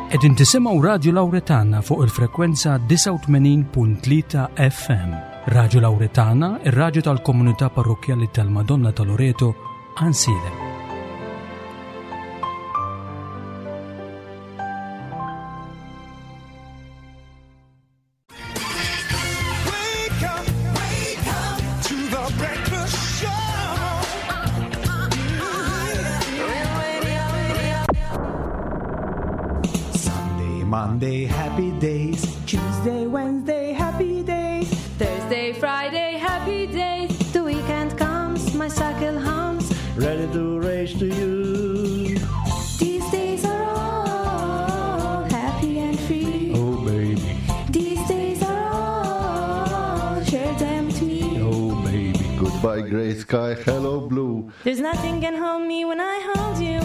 Qegħdin tisimgħu Radju Lawretana fuq il-frekwenza 89.3 FM. Radju Lawretana, ir-radju tal-komunità parrokkjali tal-Madonna ta' Loreto, Ansilem. Sunday, Monday, happy days. Tuesday, Wednesday, happy days. Thursday, Friday, happy days. The weekend comes, my cycle hums. Ready to race to you. These days are all happy and free. Oh, baby. These days are all, share them with me. Oh, baby. Goodbye, gray sky. Hello, blue. There's nothing can hold me when I hold you.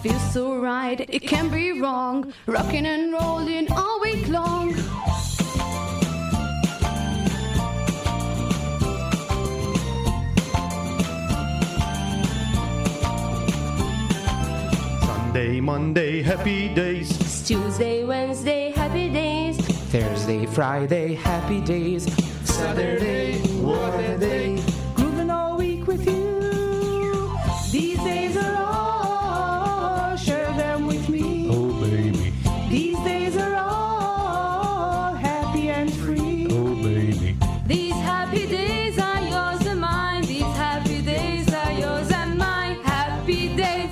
Feels so right, it can't be wrong. Rocking and rolling all week long. Sunday, Monday, happy days. It's Tuesday, Wednesday, happy days. Thursday, Friday, happy days. Saturday, what a day. Grooving all week with you. These days are all, share them with me. Oh, baby. These days are all happy and free. Oh, baby. These happy days are yours and mine. These happy days are yours and mine. Happy days.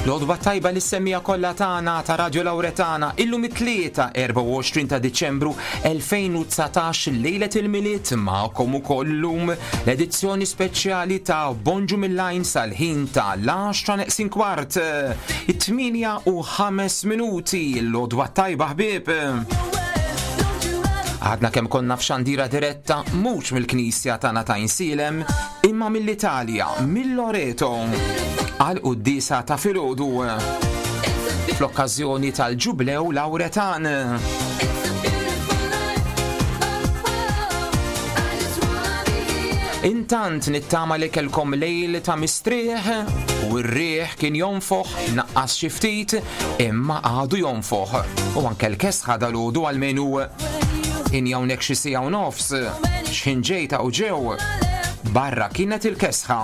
L-għodwa tajba li semmija kollha tagħna ta' Radio Lauretana illum it-tlieta 24 ta' Diċembru 2019 lejlet il-Milied magħkom ukoll illum l-edizzjoni speċjali ta' Bonġu mill-Lajn sal-ħin ta' l-10 neqsin kwart it-8 u 5 minuti l-għodwa tajba ħbieb. Għadna kemm konna f'xandira diretta mhux mill-Knisja tagħna ta' Insilem, imma mill-Italja, mill-Loreto, għal quddiesa ta' filgħodu fl-okkażjoni tal-Ġublew Lawretan. Intant nittama li kelkom lejl ta' mistrieħ u r-riħ kien jonfoħ naqqas xi ftit imma għadu jonfoħ u anke l-kesħa dal-għodu għalmenu in hawnhekk xi siegħa u nofs x'ħin ġejta u ġew barra kienet il-kesħa.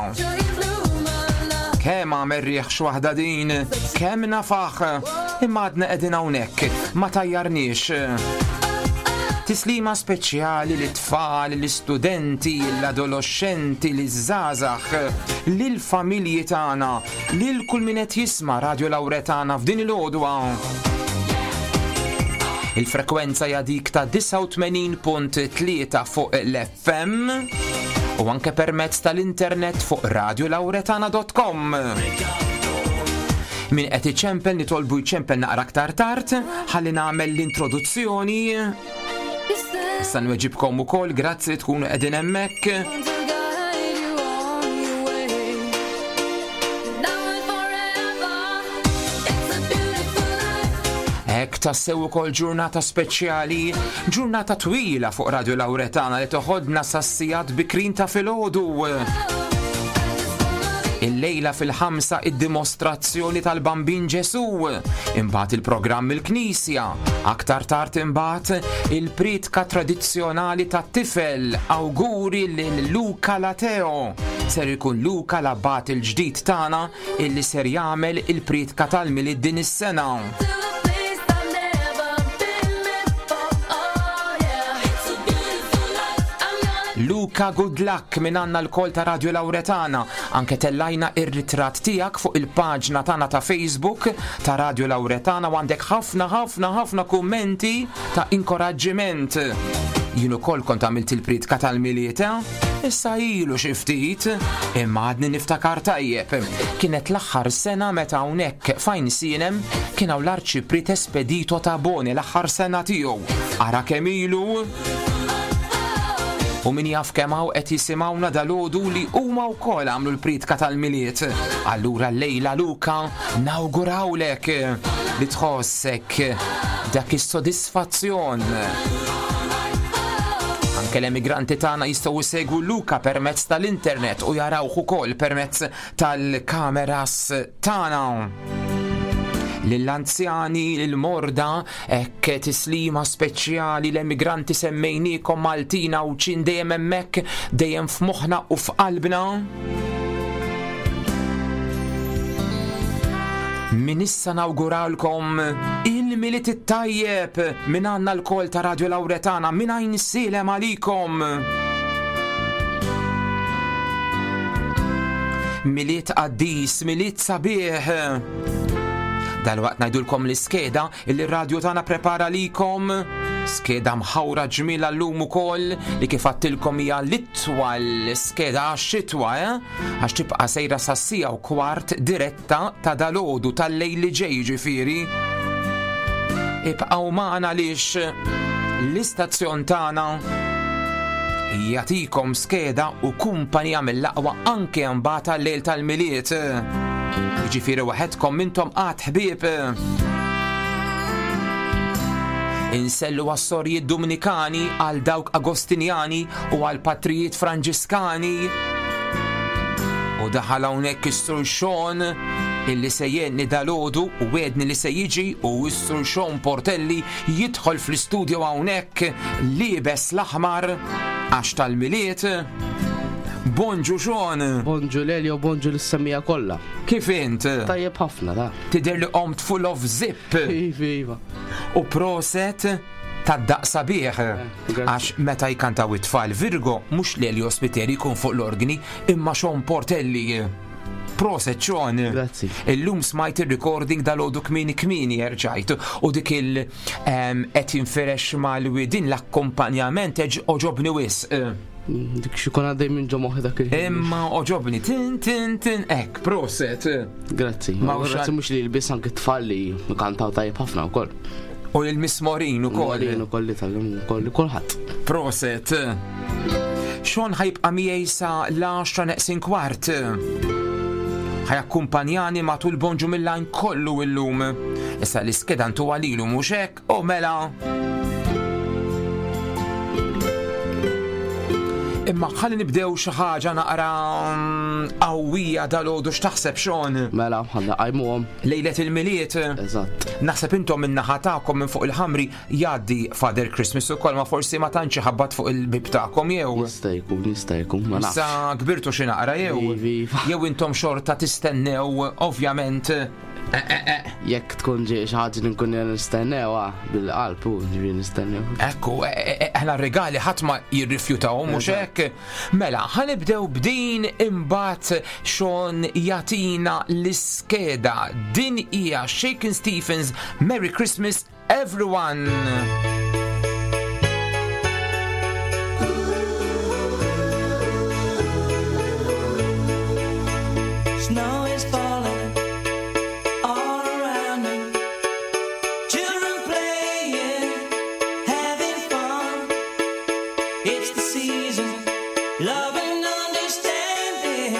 Kemm għamel riħ x'waħda din, kemm nafaħ, imma għadna qegħdin hawnhekk, ma tajjarniex. Tislima speċjali lit tfal l-istudenti, l-adoloxxenti, liż-żgħażagħ, lill-familji tagħna, lil kull min qed jisma' Radio Lawretana f'din il-għodwa. Il-frekwenza hija dik ta' 89.3 fuq l-FM u anke permezz tal-internet fuq radiolawretana.com. Min qed iċempel nitolbu jċempel naqra aktar tard ħalli nagħmel l-introduzzjoni. Issa nweġibkom ukoll grazzi li tkunu qegħdin hemmhekk. Hekk tassew ukoll ġurnata speċjali, ġurnata twila fuq Radio Lawretana li toħodna sas-sigħat bikrin ta' filgħodu. Illejla fil-ħamsa id-dimostrazzjoni tal-Bambin Ġesu, imbagħad il-programm il-Knisja, aktar tard imbagħad il-pritka tradizzjonali tat-tifel awguri lil Luca Lateo. Ser ikun Luca l-abbat il-ġdid tagħna illi ser jagħmel il-pritka tal-Milied din is-sena. Luca good luck minn għandna lkoll ta' Radio Lawretana. Anke tellajna ir-ritratt tiegħek fuq il-paġna tagħna ta' Facebook ta' Radio Lawretana u għandek ħafna ħafna ħafna kummenti ta' inkoraġġiment. Jien ukoll kont għamilt il-pritka tal-Milied, eh? Issa ilu xi ftit, imma għadni niftakar tajjeb. Kienet l-aħħar sena meta hawnhekk f'Għajn Sienem kien hawn l-Arċipriet Espedito Tabone l-aħħar sena tiegħu. Ara kemm ilu! U min jaf kemm hawn qed jisimgħuna dalgħodu li huma wkoll għamlu l-priedka tal-Milied. Allura llejla Luka nawgurawlek li tħossek dak is-sodisfazzjon. Anke l-emigranti tagħna jistgħu jsegwu Luka permezz tal-internet u jarawh ukoll permezz tal-kameras tagħna. Lill-anzjani, lill-morda, hekk tislima speċjali l-emigranti semmejniekom Maltin Għawdxin dejjem hemmhekk, dejjem f'moħħna u f'qalbna. Min issa nawguralkom il-Milied it-tajjeb minn għandna lkoll ta' Radio Lauretana minn Għajnsielem għalikom. Milied qaddis, Milied sabiħ. Dalwaqt ngħidulkom l-iskeda illi r-radju tagħna prepara likom. Skeda mħawra ġmiela llum ukoll li kif għattilkom hija l-itwal skeda għax-xitwa, eh? Għax tibqa' sejra sas-siegħa u kwart diretta ta' dalgħodu tal-lejl li ġej ġifieri. Ibqgħu magħna għaliex l-istazzjon tagħna jagħtikom skeda u kumpanija mill-aqwa anke mbagħad għal-lejl tal-Milied. Jiġifieri waħedkom mintom qatt ħbieb. Insellu għas-sorijiet Dominikani, għal dawk Agostinjani u għal patrijiet Franġiskani. U daħal hawnhekk is-Sur Sean illi se jgħinni dalgħodu u wedni li se jiġi u s-Sur Sean Portelli jidħol fl-istudio hawnhekk liebes l-aħmar għax tal-Milied. Bonġu Sean! Bonġu Lelio, bonġu lis-semmiegħa kollha. Kif int? Tajjeb ħafna da. Tidher li qomt full of zip. Iva, iva. U proset tad-daqq sabiħ. Eh, Għax meta jkantaw it-tfal Virgo mhux Lelio Spiteri jkun fuq l-organi imma Sean Portelli. Proset Sean. Grazzi. Illum smajt ir-recording dal-għodu kmieni kmieni erġajt u dik il qed jinfirex mal-widin l-akkompanjament oġobni wisq. Dik xi kun għaddej minn ġo moħħi dak il-ħin. Imma oġobni tin tin tin hekk, proset. Grazzi. Ma grazzi mhux li l-biss anke tfal li kantaw tajjeb ħafna wkoll. U lil-Miss Morin ukoll. Morin ukoll li tal-lum ukoll kulħadd. Proset. Xon ħajbqa' miegħi sa l-10 neqsin kwart. Ħajakkumpanjani matul bonġu mill-lajn kollu illum. Issa l-iskeda ntuha lilu mhux hekk, u mela. Imma ħalli nibdew xi ħaġa naqra qawwija dal-għodu x'taħseb Sean? Mela, ħalli qajmuhom. Lejlet il-Milied. Eżatt. Naħseb intom min-naħa tagħkom minn fuq il-ħamri jgħaddi Father Christmas ukoll ma forsi ma tantx iħabbat fuq il-bib tagħkom jew. Jista' jkun, jista' jkun, ma nafx. Issa kbirtu xi naqra jew. Iva, iva. Jew intom xorta tistennew ovvjament. Eh, eh, eh. Jekk tkun ġej xi ħaġa li nkun nistennew ah, bil-qalb u ġifieri nistennew. Ekku, aħna regali ħadd ma jirrifjutahom mhux hekk. Mela, ħanibdew b'din imbagħad Sean jagħtina l-iskeda. Din hija Shakin' Stevens Merry Christmas Everyone! Snow is falling all around me. Children playing, having fun. It's the season, love and understanding.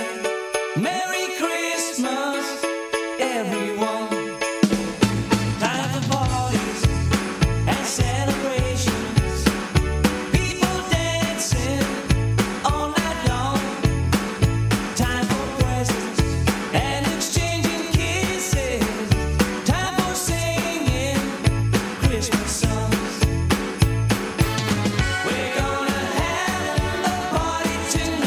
Merry Christmas, everyone. Time for parties and celebrations. People dancing all night long. Time for presents and exchanging kisses. Time for singing Christmas songs. We're gonna have a party tonight.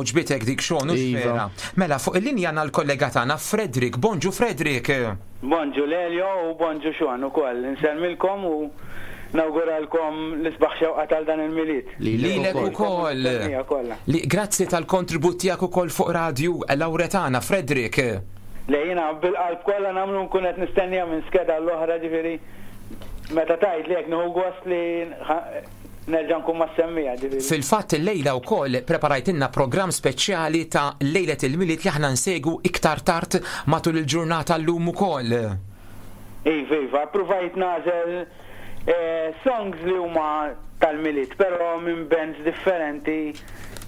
Għoġbitek dik Sean, hux Iva. vera? Mela, fuq il-linja għandna l-kollega tagħna Frederick. Bonġu Frederick! Bonġu Lelio u bonġu Sean ukoll. Insellmilkom u nawguralkom l-isbaħ xewqa tal dan il-Milied. Lilek ukoll. Mistennija kollha. Li grazzi tal-kontribut tiegħek ukoll fuq Radju Lawretana, Frederick. Le jiena bil-qalb kollha nagħmlu nkun qed nistennija minn skeda l-oħra ġifieri meta tgħidli hekk nieħu gost li nerġa' nkun mas-semmiegħa ġifieri. Fil-fatt illejla wkoll preparajtilna programm speċjali ta' lejlet il-Milied li aħna nsegwu iktar tard matul il-ġurnata llum ukoll. Iva, iva, ppruvajt nagħżel songs li huma tal-Milied, però minn bands differenti,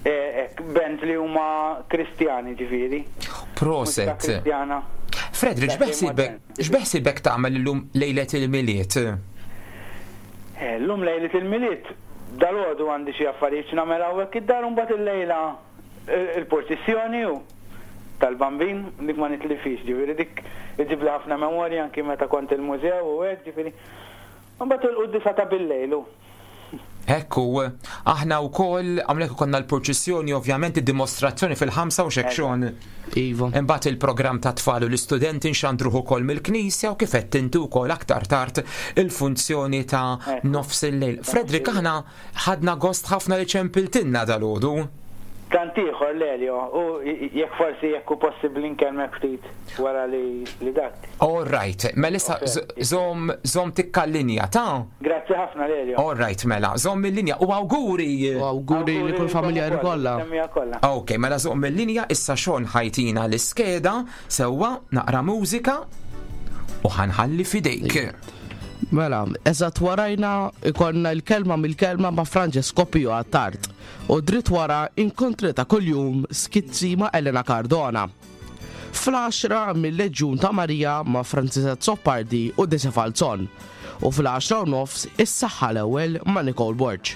hekk, bands li huma Kristjani ġifieri. Proset. Mużika Kristjana. Frederick, x'beħsiebek x'beħsiebek tagħmel illum lejlet il-Milied? Llum lejlet il-Milied, dalgħodu għandi xi affarijiet x'nagħmel hawnhekk id-dar u mbagħad illejla il-purċissjoni u tal-Bambin, dik ma nitlifhiex, ġifieri dik iġibli ħafna memorji anki meta kont il-mużew u hekk, ġifieri. U mbagħad il-quddiesa ta' billejl u. Hekk hu. Aħna wkoll hawnhekk ikollna l-purċissjoni ovvjament id-dimostrazzjoni fil-ħamsa u x'hekk Sean. Iva. Imbagħad il-programm tat-tfal u l-istudenti nxandruh ukoll mill-knisja u kif għedt inti wkoll aktar tard il-funzjoni ta' nofs il-lejl. Frederick aħna ħadna gost ħafna li ċempiltilna dalgħodu. Tant ieħor Lelio, u jekk forsi jekk hu possibbli nkellmek ftit wara li li dak. All right, mela issa żomm żomm tikka l-linja, ta? Grazzi ħafna Lelio. All right, mela, żomm il-linja u awguri! U awguri li kull familjari kollha. Semmija kollha. Ok, mela żomm il-linja, issa Sean ħajtina l-iskeda, sewwa, naqra mużika u ħanħalli f'idejk. Mela, eżatt warajna ikollna l-kelma mill-kelma ma' Francesco Pio Attard. U dritt wara inkontri ta' kuljum skizzi ma' Elena Cardona. Fl-għaxra mil-Leġjun ta' Marija ma' Francis Azzopardi u Desi Falzon. U fl-għaxra u nofs Is-Saħħa l-Ewwel ma' Nicole Borg.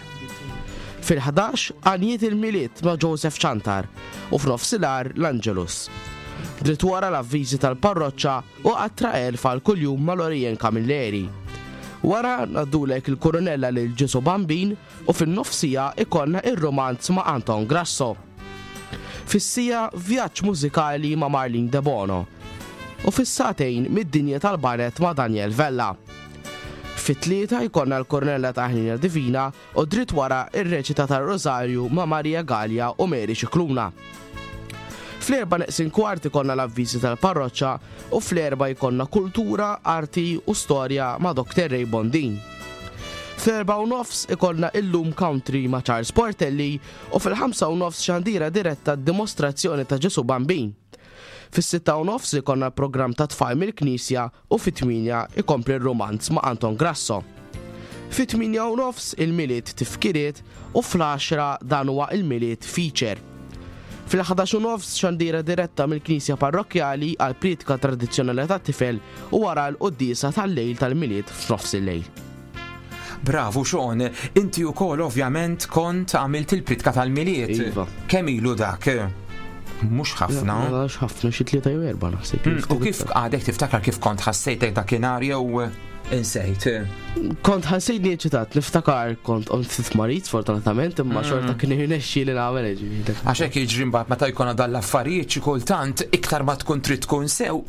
Fil-ħdax Għanjiet il-Milied ma' Joseph Ciantar u f'nofsinhar l-Angelus. Dritt wara l-avviżi tal-parroċċa u Qatra Għerf għal kuljum ma' Lorien Camilleri. Wara ngħaddulek il-Kurunella lil Ġesù Bambin u fin-nofsija ikollna ir-rumanz ma' Anton Grasso. Fis-siegħa vjaġġ mużikali ma' Marlene Debono u fis-sagħtejn mid-dinja tal-banet ma' Daniel Vella. Fit-tlieta jkollna l-Kornella ta' Ħnina Divina u dritt wara ir-reċita tar-Rożarju ma' Maria Galea u Mary Scicluna. Fl-erba' neqsin kwart ikollna l-avviżi tal-parroċċa u fl-erba' jkollna kultura, arti u storja ma' Dr. Ray Bondin. Fl-erbgħa u nofs ikollna Illum Country ma' Charles Portelli u fil-ħamsa u nofs xandira diretta d-dimostrazzjoni ta' Ġesù Bambin. Fis-sitta u nofs ikollna l-programm ta' tfal mill-Knisja u fit-tmienja ikompli r-rumanz ma' Anton Grasso. Fit-tmienja u nofs il-Milied tifkiriet u fl-għaxra dan huwa il-Milied feature. Fil-ħdax u nofs xandira diretta mill-Knisja Parrokkjali għall-prietka tradizzjonali tat-tifel u wara l-quddiesa tal-lejl tal-Milied f'nofs il-lejl. Bravu Sean, inti wkoll ovvjament kont għamilt il-pritka tal-Milied. Iva. Kemm ilu dak? Mhux ħafna. Mhux ħafna, xi tlieta jew erba' naħseb. Hmm, u kif għadek tiftakar kif kont ħassejtek dakinhar jew insejt? Kont ħassejtni eċitat, niftakar kont qomt ftit marid sfortunatament, imma hmm. xorta kien irnexxi li nagħmel ġifieri. Għax hekk jiġri mbagħad meta jkun dan l-affarijiet xi kultant iktar ma tkun trid tkun sew,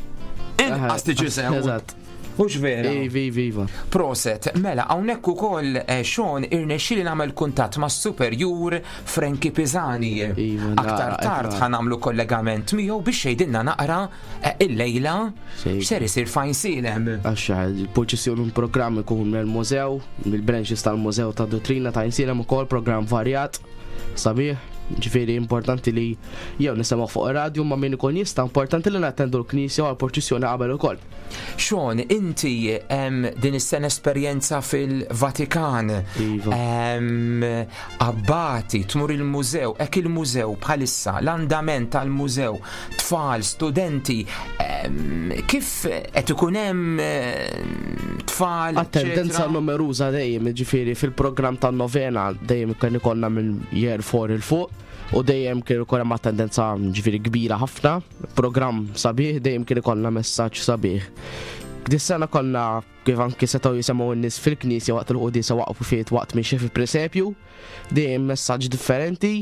inqas tiġi sew. Eżatt. Hux vera? Iva, iva, iva. Proset, mela hawnhekk ukoll eh, Sean irnexxieli nagħmel kuntatt mas-superjur Frankie Pisani. Iva, Aktar tard ħa nagħmlu kollegament miegħu biex jgħidilna naqra eh, illejla x'ser isir fajn silem. Għax eh, il-purċissjoni un programm ikun mill-mużew, mill-branches tal-mużew ta' dottrina ta' Insilem ukoll programm varjat sabiħ. Ġifieri importanti li jew nisimgħu fuq ir-radju ma' min ikun jista' importanti li nattendu l-knisja u għall-purċissjoni qabel ukoll. Sean, inti din is-sena esperjenza fil-Vatikan. Iva. Abbati, tmur il-mużew, hekk il-mużew bħalissa, l-andament tal-mużew, tfal, studenti, kif qed ikun hemm tfal. Attendenza numeruża dejjem, ġifieri fil-programm tan-novena dejjem kien ikollna minn year 4 il fuq u dejjem kien ikun hemm attendenza ġifieri kbira ħafna, programm sabiħ, dejjem kien ikollna messaġġ sabiħ. Dis-sena konna kif anki setgħu jisemgħu n-nies fil-knisja waqt il-quddiesa waqfu fiet waqt mixi fi presepju, dejjem messaġġ differenti.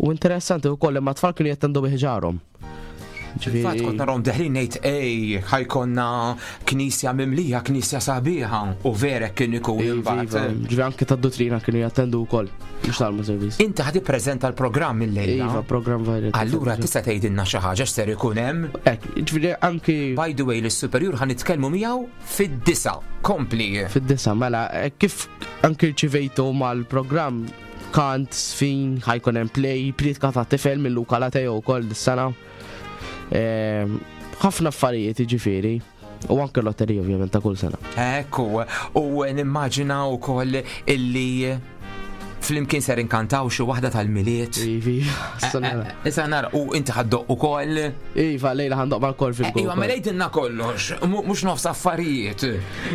U interessanti wkoll li ma tfal kienu jattendu bi ħġarhom. Fil-fatt kont narhom deħlin ngħid ej ħajkonna knisja mimlija, knisja sabiħa u vera kien ikun imbagħad. Ġifieri anke tad-dottrina kienu jattendu wkoll mhux tal-service. Inti ħad ippreżenta l-programm illejla. Iva, programm varjet. Allura tista' tgħidilna xi ħaġa x'ser ikun hemm? Hekk, ġifieri anki By the way, l-superjur ħa nitkellmu miegħu fid-disa. Kompli. Fid-disa, mela, kif anki rċivejtu mal-programm kant, sfin, ħajkun hemm play, pritka ta' tifel minn Luka Lateo wkoll dis-sena. Ħafna affarijiet jiġifieri. U anke lotterija ovvjament ta' kull sena. Ekku, u nimmaġina wkoll illi flimkien ser inkantaw xi waħda tal-Milied. Ivi, sanara. Issa nara, u inti ħaddoq ukoll. Iva, lejla ħandoq mal-kor fil-kor. Iva, mela jgħidilna kollox, mhux nofs affarijiet.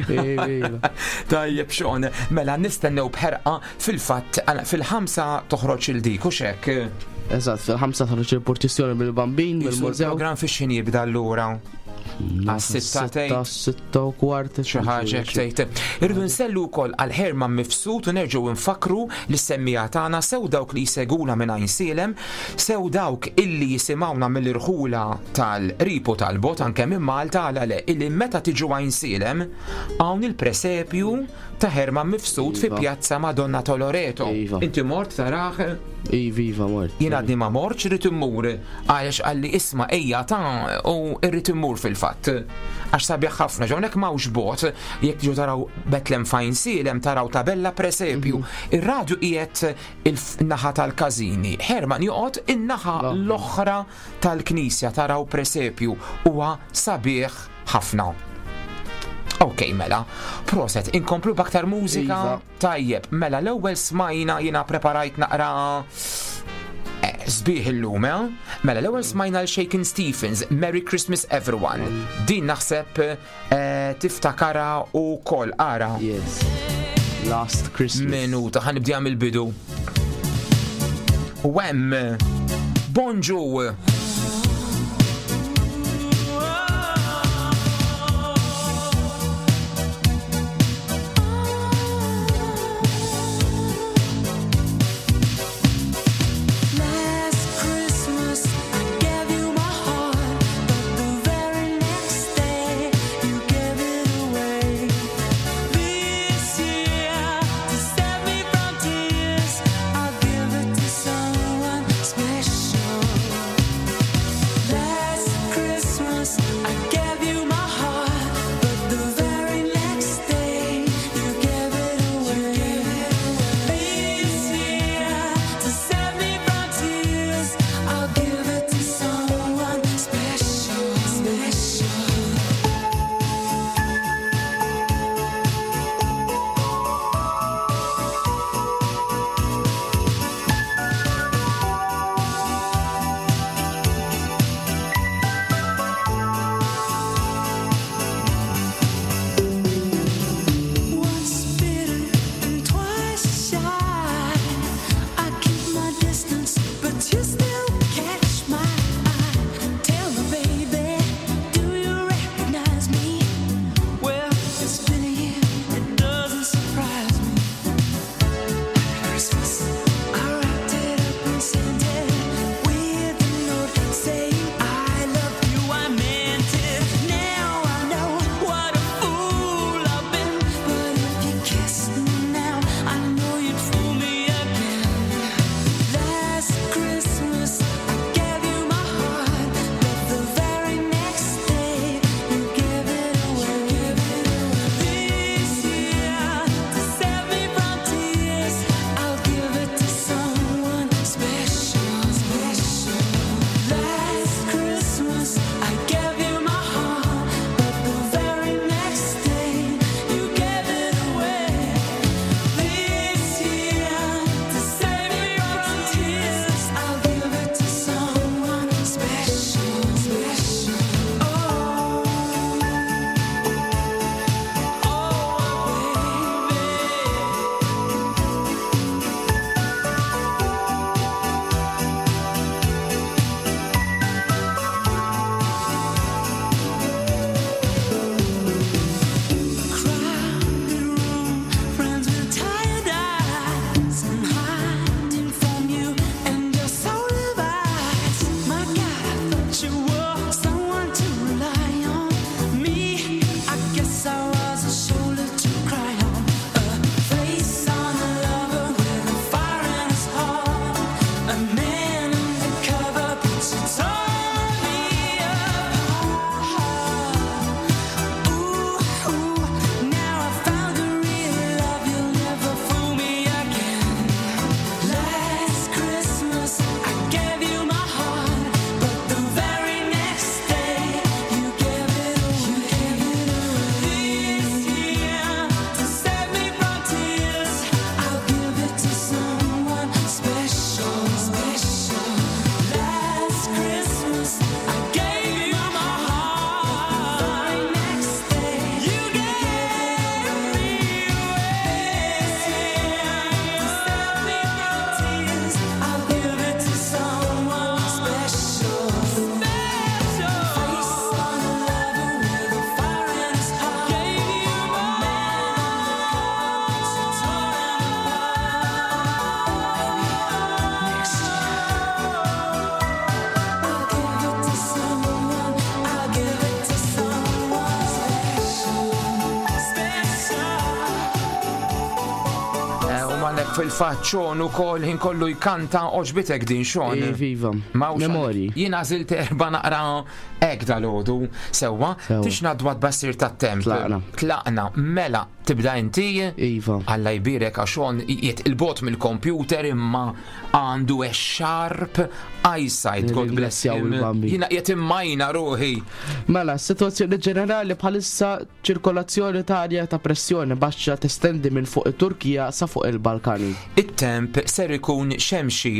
Iva. Tajjeb xon, mela nistennew b'ħerqa fil-fatt fil-5 toħroġ il-dik u xek. Eżatt, fil-5 toħroġ il-purċissjoni mill-Bambin, mill-mużew. Il-programm fix x'ħin jibda allura? Għas-sitta tgħid. 6:15. Xi ħaġa hekk tgħid. Irridu nsellu wkoll għal Herman Mifsud u nerġgħu nfakkru lis-semmiegħa tagħna sew dawk li jseguna minn Għajnsielem, sew dawk illi jisimgħuna mill-irħula tal-qrib u tal-bogħod anke minn Malta għala le illi meta tiġu Għajnsielem hawn il-presepju ta' Herman Mifsud fi Pjazza Madonna ta' Loreto. Inti mort tarah? Iva, iva, mort. Jien għadni ma mortx, irrid immur. Għaliex qalli isma' ejja ta' u irrid immur fil-fatt. Għax sabiħ ħafna, ġo hawnhekk m'hawnx bogħod, jekk tiġu taraw Betlem fejn Sielem taraw tabella presepju. Ir-radju qiegħed il-naħa tal-każini. Herman joqgħod in-naħa l-oħra tal-knisja taraw presepju huwa sabiħ ħafna. Ok, mela. Proset, inkomplu b'aktar mużika. Iva. Tajjeb, mela l-ewwel smajna jiena preparajt naqra sbieħ illum, eh? Mela l-ewwel smajna l Shakin Stevens, Merry Christmas Everyone. Din naħseb tiftakara u kol, ara. Yes. Last Christmas. Minuta, ħa nibdija mill-bidu. U hemm, bonġu. Last Christmas I gave you my heart, but the very next day you gave it away. This year, to save me from tears, I'll give it to someone special. Hemmhekk fil-fatt Sean ukoll ħin kollu jkanta oġbitek din Sean. Iva. Mawx Memorji. Jien għażilt erba' naqra hekk dalgħodu. Sewwa, Sewwa. tix ngħaddu għat-tbassir tat-temp. Tlaqna. Tlaqna. Mela, tibda inti? Iva. Alla jbierek għax Sean qiegħed il-bogħod mill-kompjuter imma għandu a sharp eyesight. God bless Nirringrazzjaw him. il-Bambin. Jiena qiegħed immajna ruħi. Mela, s-sitwazzjoni ġenerali bħalissa ċirkolazzjoni ta' arja ta' pressjoni baxxa testendi minn fuq it-Turkija sa fuq il-Balkani. It-temp ser ikun xemxi.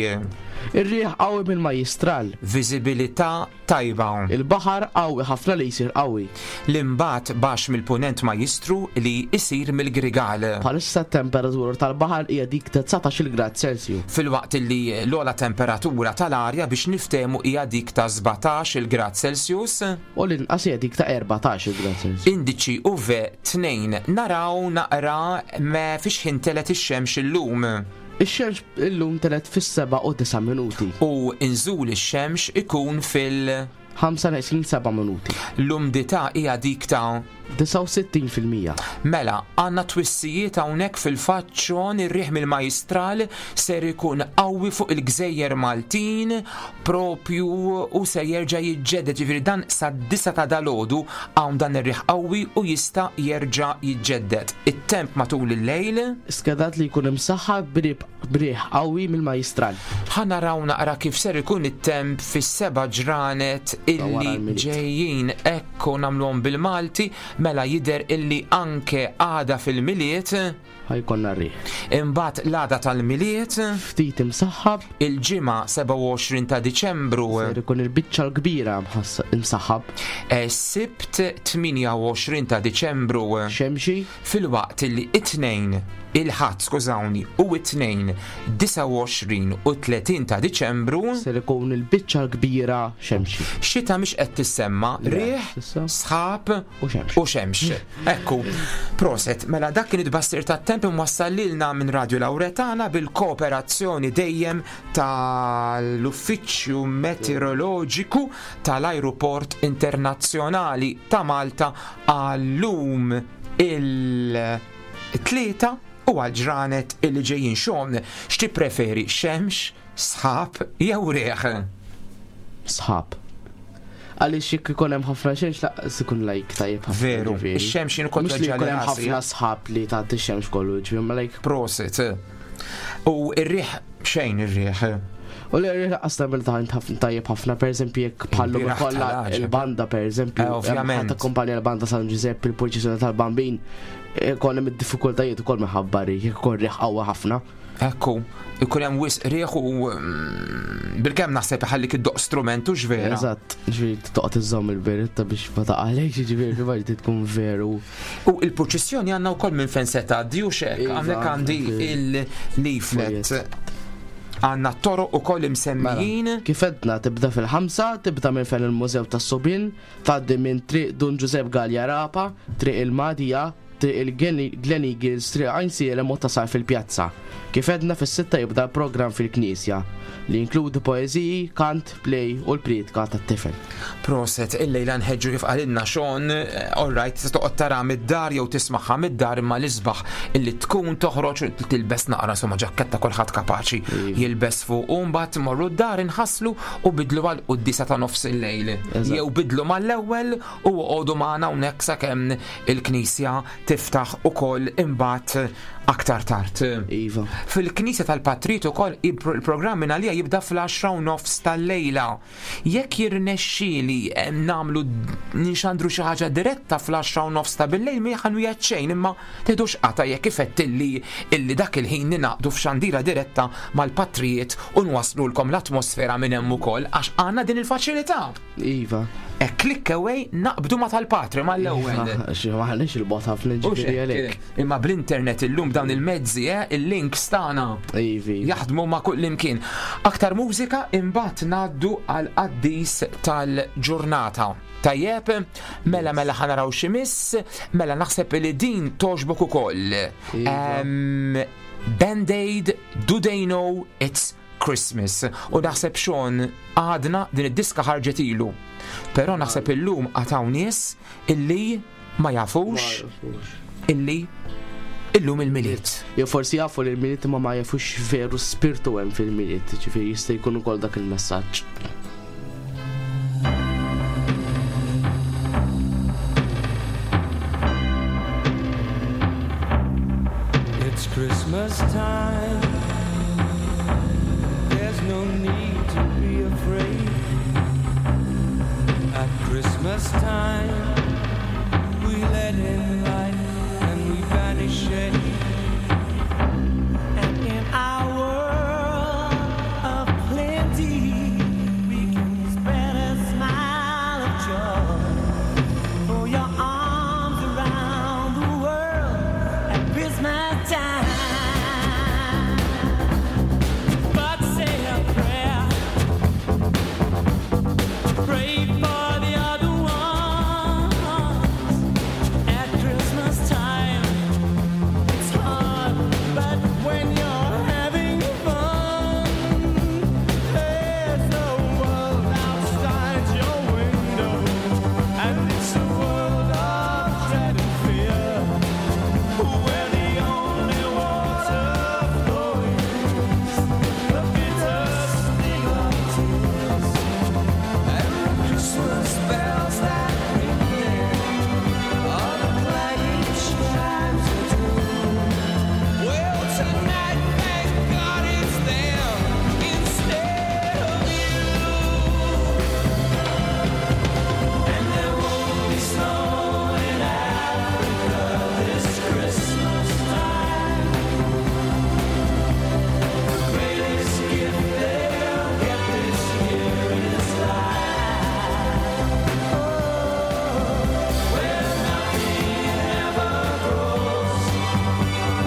Ir-riħ qawwi minn Majjistral. Viżibilità tajba. Il-baħar qawwi ħafna li jsir qawwi. L-imbagħad baxx mill-punent Majjistru li jsir mill-Grigal. Bħalissa t-temperatura tal-baħar hija dik ta' 19 grad Celsiju. Filwaqt li l-ogħla temperatura tal-arja biex niftehmu hija dik ta' 17 il grad Celsius. U l-inqas hija dik ta' 14 grad Celsius. Indiċi UV 2 naraw naqra me fiex ħin telet ix-xemx illum. Ix-xemx illum telet fis-7 u 9 minuti. U inżul ix-xemx ikun fil- 5 neqsin 7 minuti. L-umdità hija dik ta' 69%. Mela, għandna twissijiet hawnhekk fil-fatt Sean ir-riħ mill-Majjistral ser ikun qawwi fuq il-Gżejjer Maltin propju u ser jerġa' jiġġedded, ġifieri dan sad-disa ta' dalgħodu hawn dan ir-riħ qawwi u jista' jerġa' jiġġedded. It-temp matul il-lejl? Skedat li jkun imsaħħab b'riħ qawwi mill-Majjistral. Ħa naraw naqra kif ser ikun it-temp fis-seba' ġranet illi ġejjin. Ekku nagħmluhom bil-Malti, mela jidher illi anke għada fil-Milied. Ħa jkollna r-riħ. Imbagħad l-għada tal-Milied. Ftit imsaħħab. Il-Ġimgħa 27 ta' Diċembru. Ser ikun il-biċċa l-kbira imsaħħab. Sibt 28 ta' Diċembru. Xemxi. Filwaqt illi it-Tnejn, il-Ħadd, skużawni, u it-Tnejn 29 u 30 ta' Diċembru. Ser ikun il-biċċa l-kbira xemxi. Xita mhix qed tissemma, riħ, sħab u xemx. U xemx. Ekku, proset, mela dak kien it-tbassir tat-temp imwassal lilna minn Radio Lauretana bil-kooperazzjoni dejjem tal-Uffiċċju Meteoroloġiku tal-Ajruport Internazzjonali ta' Malta għal-lum il-Tlieta u għal-ġranet illi ġejjin. Xon, x'tippreferi, xemx, sħab jew riħ? Sħab. Għaliex jekk ikun hemm ħafna xemx laqas ikun like tajjeb ħafna. Veru, ġifieri. ix-xemx jien kont Mhux li jkun hemm ġali ħafna sħab li tagħti x-xemx kollu, ġifieri ma like. Prosit. U r-riħ xejn ir-riħ. U li r-riħ laqas tagħmel tajjeb ħafna, pereżempju jekk bħallu Il-bieraħ kollha tal-għaġeb. il-banda pereżempju, Ovvjament. ħadd akkumpanja l-banda San Ġużepp il-purċissjoni tal-Bambin, ikun hemm id-diffikultajiet ukoll minħabba riħ, jekk ikun riħ qawwa ħafna. Ekku, ikun hemm wisq riħ u bilkemm naħseb iħallik iddoqq strument hux vera. Eżatt, ġifieri toqgħod iżżomm il-beretta biex ma taqalekx, ġifieri kif għax tkun veru. U il-purċissjoni għandna wkoll minn fejn se tgħaddi u x'hekk, Iva, hawnhekk għandi il-leaflet. Għandna t-toroq ukoll imsemmijin. Mela, kif għedna tibda fil-5, tibda minn fejn il-Mużew tas-Subien, tgħaddi minn Triq Dun Ġużepp Galea Rapa, Triq il-Madija, Triq il-Glen Eagles, Triq Għajnsielem u tasal fil-pjazza. Kif għedna fis-sitta jibda l-programm fil-Knisja li jinkludi poeżiji, kant, play u l-prietka tat-tifel. Proset, illejla nħeġġu kif qalilna Sean, all right, tista' toqgħod tara mid-dar jew tismagħha mid-dar imma l-isbaħ illi tkun toħroġ u tilbes naqra insomma ġakketta kulħadd kapaċi jilbes fuq u mbagħad imorru d-dar inħasslu u bidlu għal quddisa ta' nofs il-lejl. Jew bidlu mal-ewwel u oqogħdu magħna hawnhekk sakemm il-knisja tiftaħ ukoll imbagħad aktar tard. Iva. Fil-Knisja tal-Patrit ukoll il-programm minn għalija jibda fl-għaxra u nofs tal-lejla. Jekk jirnexxieli nagħmlu ninxandru xi ħaġa diretta fl-għaxra u nofs ta' bil-lejl ma ħanwiegħed xejn imma tgħidux qata' jekk ifettilli illi dak il-ħin ninaqdu f'xandira diretta mal-patrijiet u nwasslulkom l-atmosfera minn hemm ukoll għax għandna din il-faċilità. Iva. E click away naqbdu ma tal-patri mal-ewwel. Iva, xi maħniex il-bot ħafna U ġifieri x'hekk, għalhekk. Imma bl-internet illum dawn il-mezzi, il-links tagħna. Ivi. Jaħdmu ma' kull imkien. Aktar mużika imbagħad ngħaddu għal qaddis tal-ġurnata. Tajjeb, mela mela ħa naraw xi miss, mela naħseb li din togħġbok ukoll. Band-Aid, Do They Know It's Christmas. U naħseb Sean għadna din id-diska ħarġet ilu. Però naħseb illum għataw nies illi ma jafux illi Illum il-Milied. Jew forsi jafu li l-Milied imma ma jafux veru spirtu hemm fil-Milied, ġifieri jista' jkun ukoll dak il-messaġġ. It's Christmas time. There's no need to be afraid. At Christmas time, we let in light and we banish shade. And in our world of plenty, we can spread a smile of joy. Throw your arms around the world at Christmas time. But say a prayer. Pray for the other ones at Christmas time. It's hard, but when you're having fun, there's a world outside your window, and it's a world of dread and fear, where the only water flowing is the bitter sting of tears. And the Christmas bells that ring there are the clanging chimes of doom. Well, tonight, thank God it's them instead of you. And there won't be snow in Africa this Christmas time. The greatest gift they'll get this year is life. Oh, where nothing ever grows,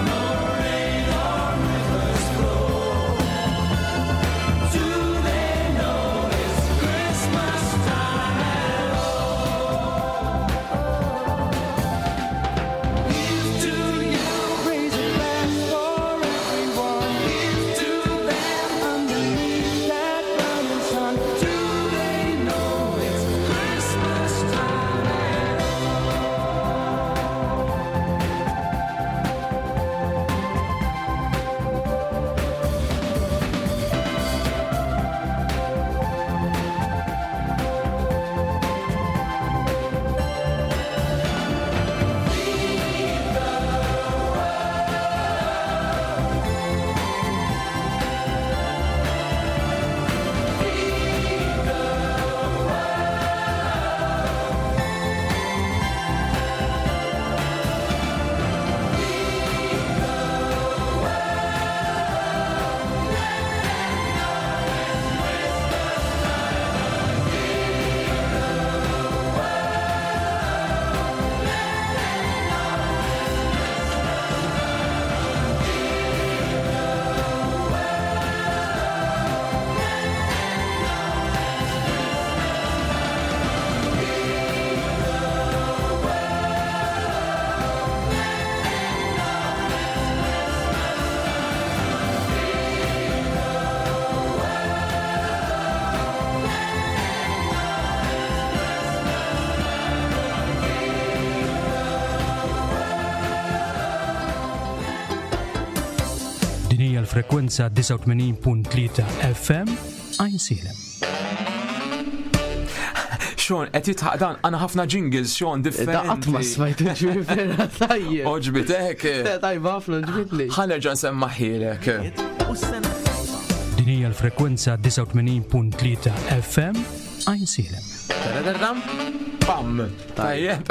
no rain or rivers flow. Do they know it's Christmas time at all? Here's to you, raise a glass for everyone. Here's to them underneath that burning sun. Do they know it's Christmas time at Din hija l-frekwenza 89.3 FM Għajnsielem. Sean, qed jitħaq dan għandna ħafna jingles, Sean, differenti. Da qatt ma smajt ġifieri vera tajjeb. Oġbitek. Tajba ħafna ġbitni. Ħa nerġa' nsemmaħilek. Din hija l-frekwenza 89.3 FM Għajnsielem. Taradarram? Pam! Tajjeb,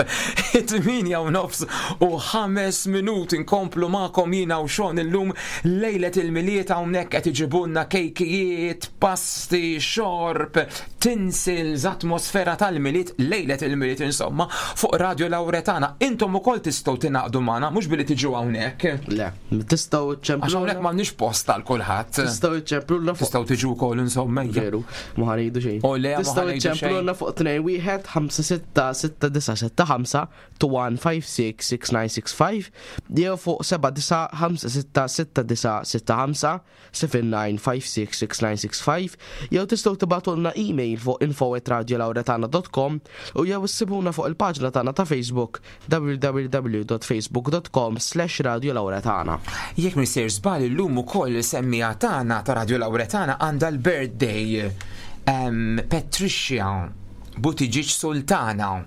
8 u nofs u 5 minuti nkomplu magħkom jiena u Sean illum lejlet il-Milied hawnhekk qed iġibulna kejkijiet, pasti, xorb, tinsils, atmosfera tal-Milied, lejlet il-Milied insomma, fuq Radio Lauretana. Intom ukoll tistgħu tingħaqdu magħna mhux billi tiġu hawnhekk. Le, tistgħu Għax hawnhekk m'għandniex post għal kulħadd. Tistgħu iċċemplulna fuq. Tistgħu tiġu wkoll insomma. Veru, ma ħanejdu xejn. O le, ma Tistgħu ħanejdu xejn. iċċemplulna fuq 2 1 5 6 266975 21566965 jew fuq 79566965 79566965 jew tistgħu tibgħatulna email fuq info@radiolauretana.com u jew issibuna fuq il-paġna tagħna ta' Facebook www.facebook.com/radiolauretana. Jekk m'iniex sejjer żball illum ukoll semmiegħa tagħna ta' Radio Lauretana għandha l-birthday Patricia Buttigieg Sultana.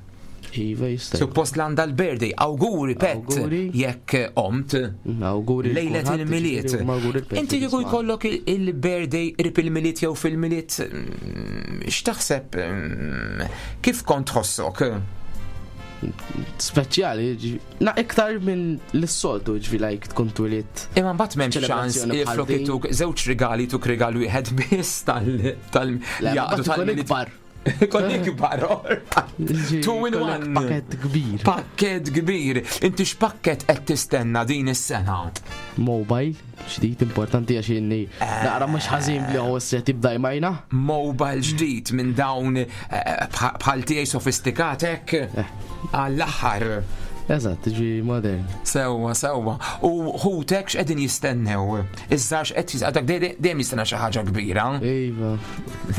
Iva jista'. Suppost l għandha l-birthday. Awguri Pet. Jekk omt. Awguri. Lejlet il-Milied. Inti kieku jkollok il-birthday qrib il-Milied jew fil-Milied, x'taħseb kif kont tħossok? Speċjali, na iktar minn l-soltu ġvi like tkun twiliet. Imma mbagħad m'hemmx ċans flok ituk żewġ rigali tuk rigal wieħed biss tal tal jaqdu tal-ikbar. Kon ikbar, Two in one. Pakket kbir. Pakket kbir. Inti x'pakket qed tistenna din is-sena? Mobile, ġdid importanti għax inni naqra mhux ħażin li huwa se tibda jmajna. Mobile ġdid minn dawn eh, bħal tiegħi sofistikat hekk eh. għall-aħħar. Eżatt, ġi modern. Sewwa, sewwa. U ħutek x'qegħdin jistennew? Iżda x'qed dak dejjem jistenna xi ħaġa kbira. Iva.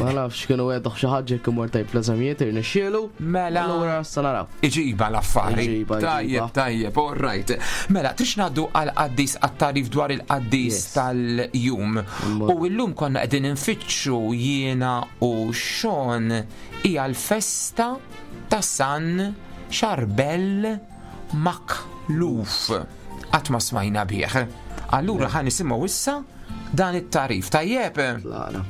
Ma nafx kienu għedoh xi ħaġa jekk imur tajb l-eżamijiet irnexxielu. Mela. Allura sa naraw. Iġiba l-affari. Tajjeb, tajjeb, all right. Mela, trix ngħaddu għal qaddis għat-tarif dwar il-qaddis tal-jum. U llum konna qegħdin infittxu jiena u Sean hija l-festa ta' San Charbel Makhlouf. Qatt ma smajna bih. Allura ħa nisimgħu issa dan it-tarif. Tajjeb? Tlaqna.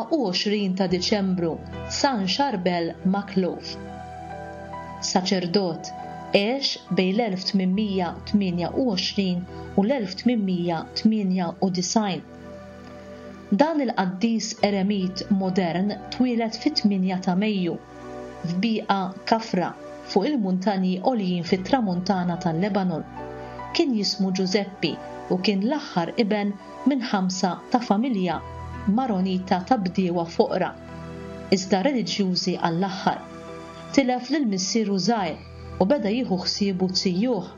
24 ta' Diċembru, San Charbel Makhlouf. Saċerdot, għex bejn l-1828 u l-1898. Dan il-qaddis eremit modern twieled fit-8 ta' Mejju, f'Biqa Kafra, fuq il-muntanji għoljin fit-Tramuntana tal-Lebanon. Kien jismu Ġużeppi u kien l-aħħar iben minn ħamsa ta' familja Maronita ta' bdiewa foqra, iżda reliġjużi għall-aħħar. Tilef lil missieru żgħir u beda jieħu ħsiebu zijuh.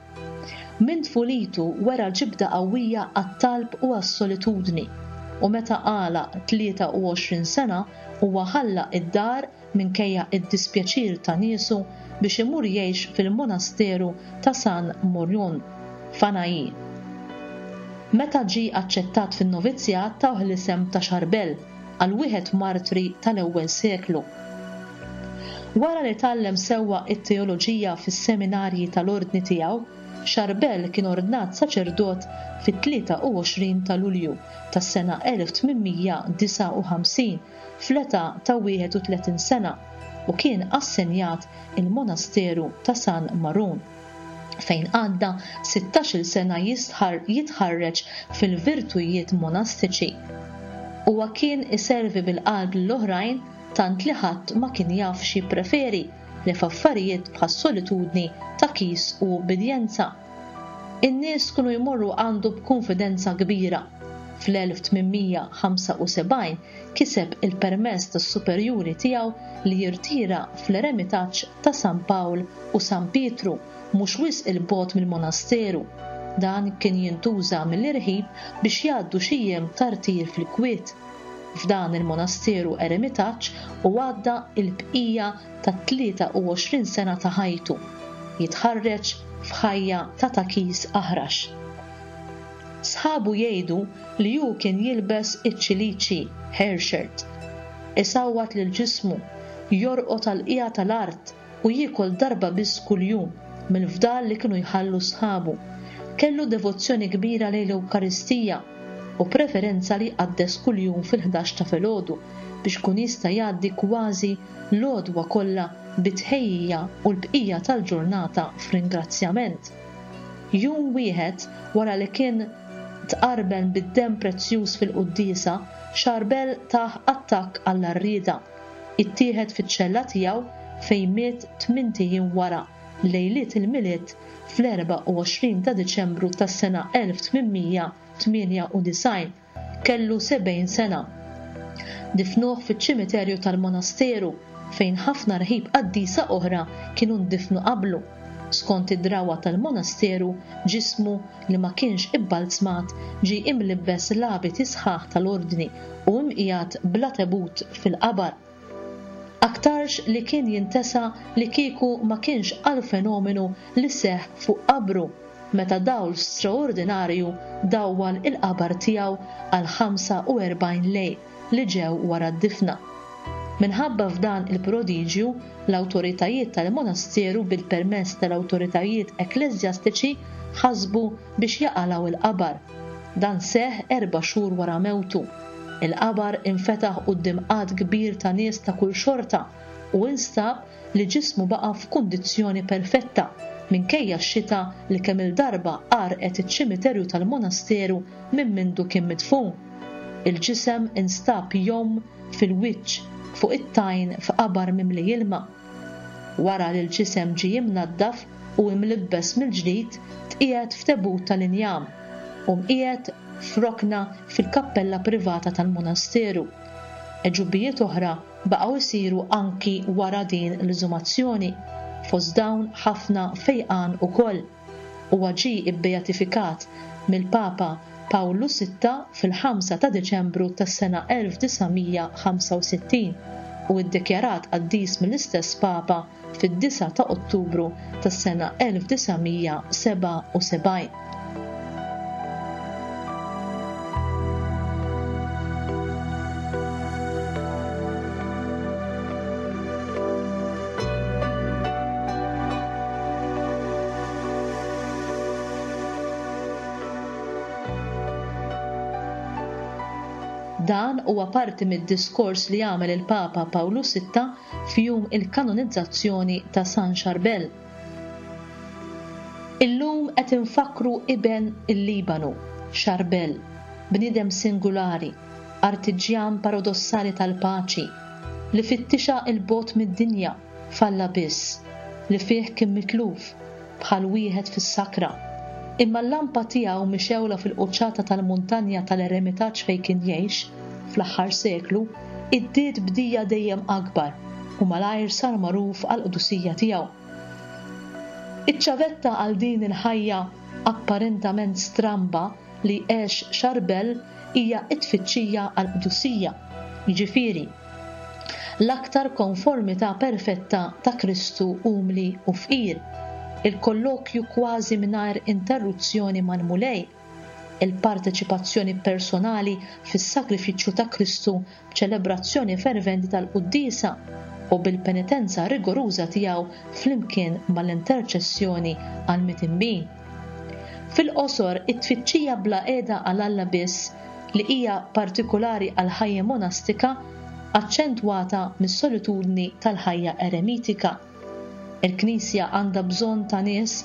Minn tfulitu wera ġibda qawwija għat-talb u għas-solitudni, u meta għalaq 23 sena huwa ħalla d-dar minkejja d-dispjaċir ta' niesu biex imur jgħix fil-monasteru ta' San Morion, f'Anahi. Meta ġie aċċettat fin-novizzjat tawh l-isem ta' Charbel għal wieħed martri tal-ewwel seklu. Wara li tgħallem sewwa t-teoloġija fis-seminarji tal-ordni tiegħu, Charbel kien ordnat saċerdot fit-23 ta' Lulju tas-sena 1859 fl-età ta' 31 sena u kien assenjat il-monasteru ta' San Marun, fejn għadda sittax-il sena jitħarreġ fil-virtujiet monastiċi. Huwa kien iservi bil-qalb lill-oħrajn tant li ħadd ma kien jaf x'jippreferi li f'affarijiet bħas-solitudni ta' kis u ubbidjenza. In-nies kienu jmorru għandu b'kunfidenza kbira. Fl-1875 kiseb il-permess tas-superjuri tiegħu li jirtira fl-eremitaġġ ta' San Pawl u San Pietru, mhux wisq 'il bogħod mill-monasteru. Dan kien jintuża mill-irħib biex jgħaddu xi jiem ta' rtir fil-kwiet. F'dan il-monasteru eremitaġġ hu għadda l-bqija tat-23 sena ta' ħajtu, jitħarreġ f'ħajja ta' takis aħrax. Sħabu jgħidu li hu kien jilbes iċ-ċiliċi, hair shirt, isawwat lil ġismu, jorqod għall-qiegħa tal-art u jiekol darba biss kuljum mill-fdal li kienu jħallu sħabu. Kellu devozzjoni kbira lejn l-Ewkaristija u preferenza li jqaddes kuljum fil-ħdax ta' filgħodu biex ikun jista' jgħaddi kważi l-għodwa kollha bi tħejjija u l-bqija tal-ġurnata f'ringrazzjament. Jum wieħed wara li kien tqarben bid-demm prezzjuż fil-quddiesa, Charbel tah attakk għall-għarrieda. Ittieħed fiċ-ċella tiegħu fejn miet tmint ijiem wara, lejliet il-Milied fl-24 ta' Diċembru tas-sena 1898. Kellu 70 sena. Difnuh fiċ-ċimiterju tal-monasteru fejn ħafna rħib qaddisa oħra kienu ndifnu qablu. Skont id-drawwa tal-monasteru, ġismu, li ma kienx ibbalzmat, ġie imlibbes l-abiti sħaħ tal-ordni u imqiegħed bla tebut fil-qabar. Aktarx li kien jintesa li kieku ma kienx għall-fenomenu li seħħ fuq qabru meta dawl straordinarju dawwal il-qabar tiegħu għal 45 lejl li ġew wara d-difna. Minħabba f'dan il-prodiġju, l-awtoritajiet tal-monasteru bil-permess tal-awtoritajiet ekkleżjastiċi ħasbu biex jaqalgħu l-qabar. Dan seħħ erba' xhur wara mewtu. Il-qabar infetaħ quddiem għadd kbir ta' nies ta' kull xorta u instab li ġismu baqa' f'kundizzjoni perfetta minkejja x-xita li kemm-il darba għarrqet iċ-ċimiterju tal-monasteru minn mindu kien midfun. Il-ġisem instab jgħum fil-wiċċ fuq it-tajn f'qabar mimli ilma. Wara li l-ġisem ġie imnaddaf u imlibbes mill-ġdid tqiegħed f'tebut tal-injam u mqiegħed f'rokna fil-kappella privata tal-monasteru. Għeġubijiet oħra baqgħu jsiru anki wara din l-eżumazzjoni, fost dawn ħafna fejqan ukoll. Huwa ġie bbeatifikat mill-Papa Pawlu Sitta fil-ħamsa ta' Diċembru tas-sena 1965 u ddikjarat qaddis mill-istess Papa fid-disgħa ta' Ottubru tas-sena 1977. Dan huwa parti mid-diskors li għamel il-Papa Pawlu Sitta f'jum il-kanonizzazzjoni ta' San Charbel. Illum qed infakkru iben il-Libanu, Charbel, bniedem singulari, artiġjan paradossali tal-paċi, li fittixha 'l bogħod mid-dinja, f'Alla biss, li fih kien mitluf, bħal wieħed fis-sakra. Imma l-lampa tiegħu mixgħula fil-quċċata tal-muntanja tal-eremitaġġ fejn kien jgħix, fl-aħħar seklu, iddiet b'dija dejjem akbar u malajr sar magħruf għall-qdusija tiegħu. Iċ-ċavetta għal din il-ħajja apparentament stramba li għex Charbel hija t-tfittxija għall-qdusija, jiġifieri, l-aktar konformità perfetta ta' Kristu umli u fqir, il-kollokju kważi mingħajr interruzzjoni mal-Mulej, il-parteċipazzjoni personali fis-sagrifiċċju ta' Kristu b'ċelebrazzjoni ferventi tal-quddiesa u bil-penitenza rigoruża tiegħu flimkien mal-interċessjoni għall-mitinbin. Fil-qosor, it-tfittxija bla qiegħda għal Alla biss, li hija partikulari għall-ħajja monastika, aċċentwata mis-solitudni tal-ħajja eremitika. Il-Knisja għandha bżonn ta' nies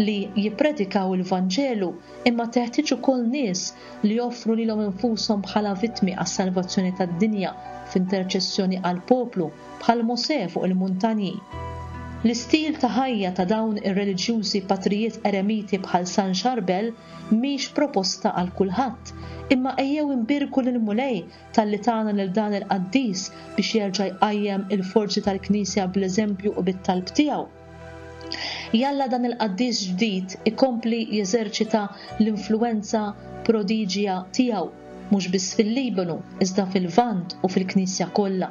li jippredikaw il-Vanġelu imma teħtieġ ukoll nies li joffru lilhom infushom bħala vittmi għas-salvazzjoni tad-dinja f'interċessjoni għall-poplu bħal Mosè fuq il-muntanji. L-istil ta' ħajja ta' dawn ir-reliġjużi patrijiet eremiti bħal San Charbel mhix proposta għal kulħadd, imma ejjew inbierku lill-Mulej talli tana lil dan il-qaddis biex jerġa' jqajjem il-forzi tal-Knisja bl-eżempju u bit-talb tiegħu. Jalla dan il-qaddis ġdid ikompli jeżerċita l-influwenza prodiġja tiegħu mhux biss fil-Libanu iżda fil-Lvant u fil-Knisja kollha.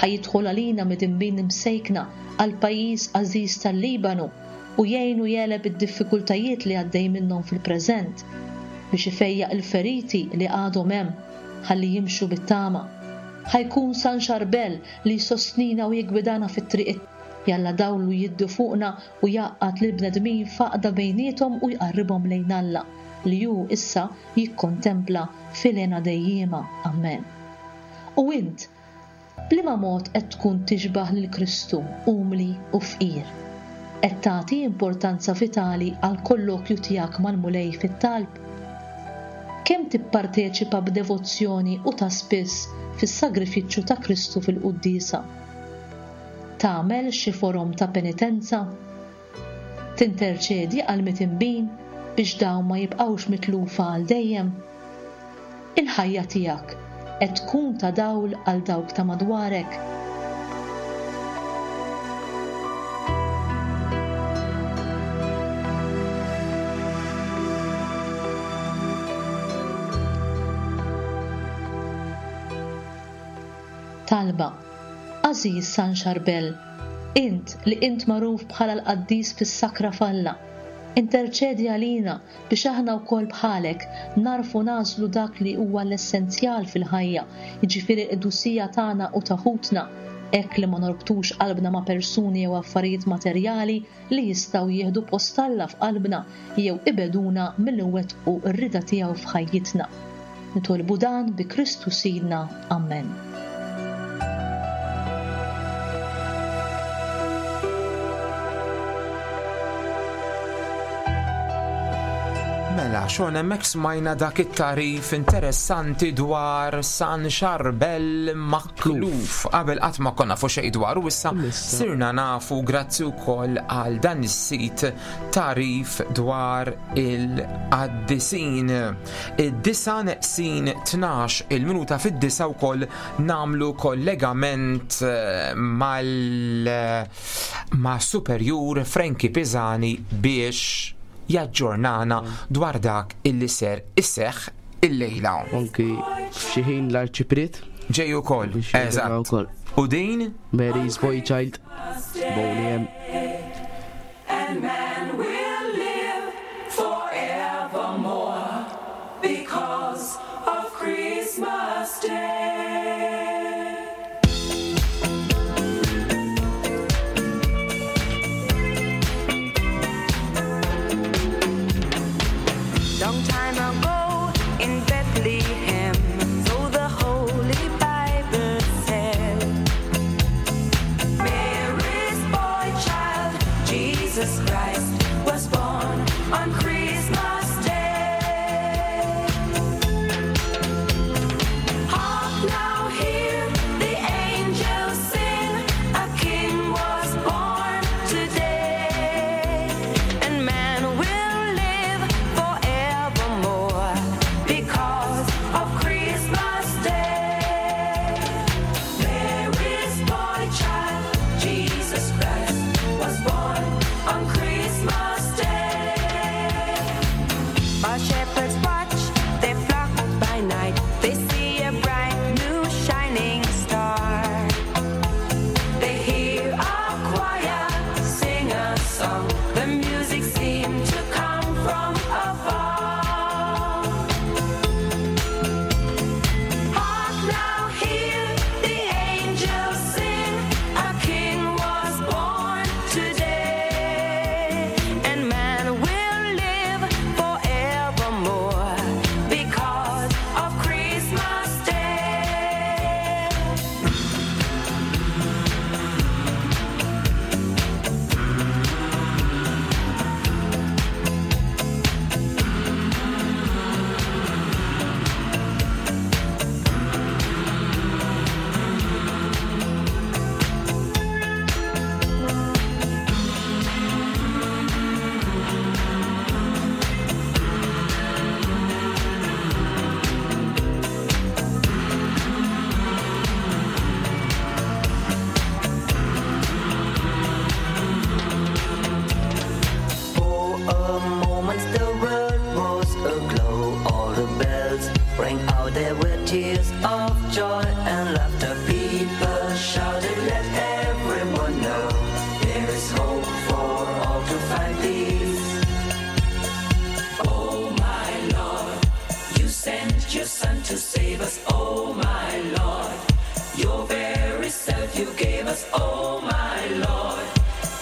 Ħa jidħol għalina midinbin imsejkna għall-pajjiż għażiż tal-Libanu u jgħinu jegħleb id-diffikultajiet li għaddej minnhom fil-preżent, biex ifejjaq il-feriti li għadhom hemm ħalli jimxu bit-tama. Ħa jkun San Xarbel li jsostnina u jiggwidana fit-triq Jalla dawlu jiddi fuqna u jgħaqqad lill-bnedmin f'għaqda bejniethom u jqarribhom lejn Alla, li hu issa jikkontempla fil-hena dejjiema. Ammen. U int, b'liema mod qed tkun tixbah lil Kristu umli u fqir? Qed tagħti importanza vitali għall-kollokju tiegħek mal-Mulej fit-talb? Kemm tipparteċipa b'devozzjoni u ta' spiss fis-sagrifiċċju ta' Kristu fil-quddiesa? Tagħmel xi forom ta' penitenza? Tinterċedi għall-mitinbin biex dawn ma jibqgħux mitlufa għal dejjem? Il-ħajja tiegħek qed tkun ta' dawl għal dawk ta' madwarek? Talba, Għażiż San Xarbel, int li int magħruf bħala l-qaddis fis-sakra f'Alla, interċedi għalina biex aħna wkoll bħalek nagħrfu nagħżlu dak li huwa l-essenzjal fil-ħajja, jiġifieri l-qdusija tagħna u ta' ħutna, hekk li ma norbtux qalbna ma' persuni jew affarijiet materjali li jistgħu jieħdu post Alla f'qalbna jew ibegħduna milli nwettqu r-rieda tiegħu f'ħajjitna. Nitolbu dan bi Kristu Sidna. Ammen. Mela, xon hemmhekk smajna dak it-tarif interessanti dwar San Xarbel Makluf. Qabel qatt ma konna nafu xejn dwaru issa sirna nafu grazzi wkoll għal dan is-sit tarif dwar il-qaddisin. Id-disa neqsin 12 il-minuta fid-disa wkoll namlu kollegament eh, mal ma' superjur Frankie Pisani biex jaġġornana dwar dak illi ser isseħ illejla. Anki f'xi ħin l-arċipriet. Ġej ukoll. Eżatt. U din? Mary's Boy Child. Boney M. And man will live forevermore because of Christmas Day. Long time ago in Bethlehem, so the Holy Bible said, Mary's boy child. us, oh my Lord.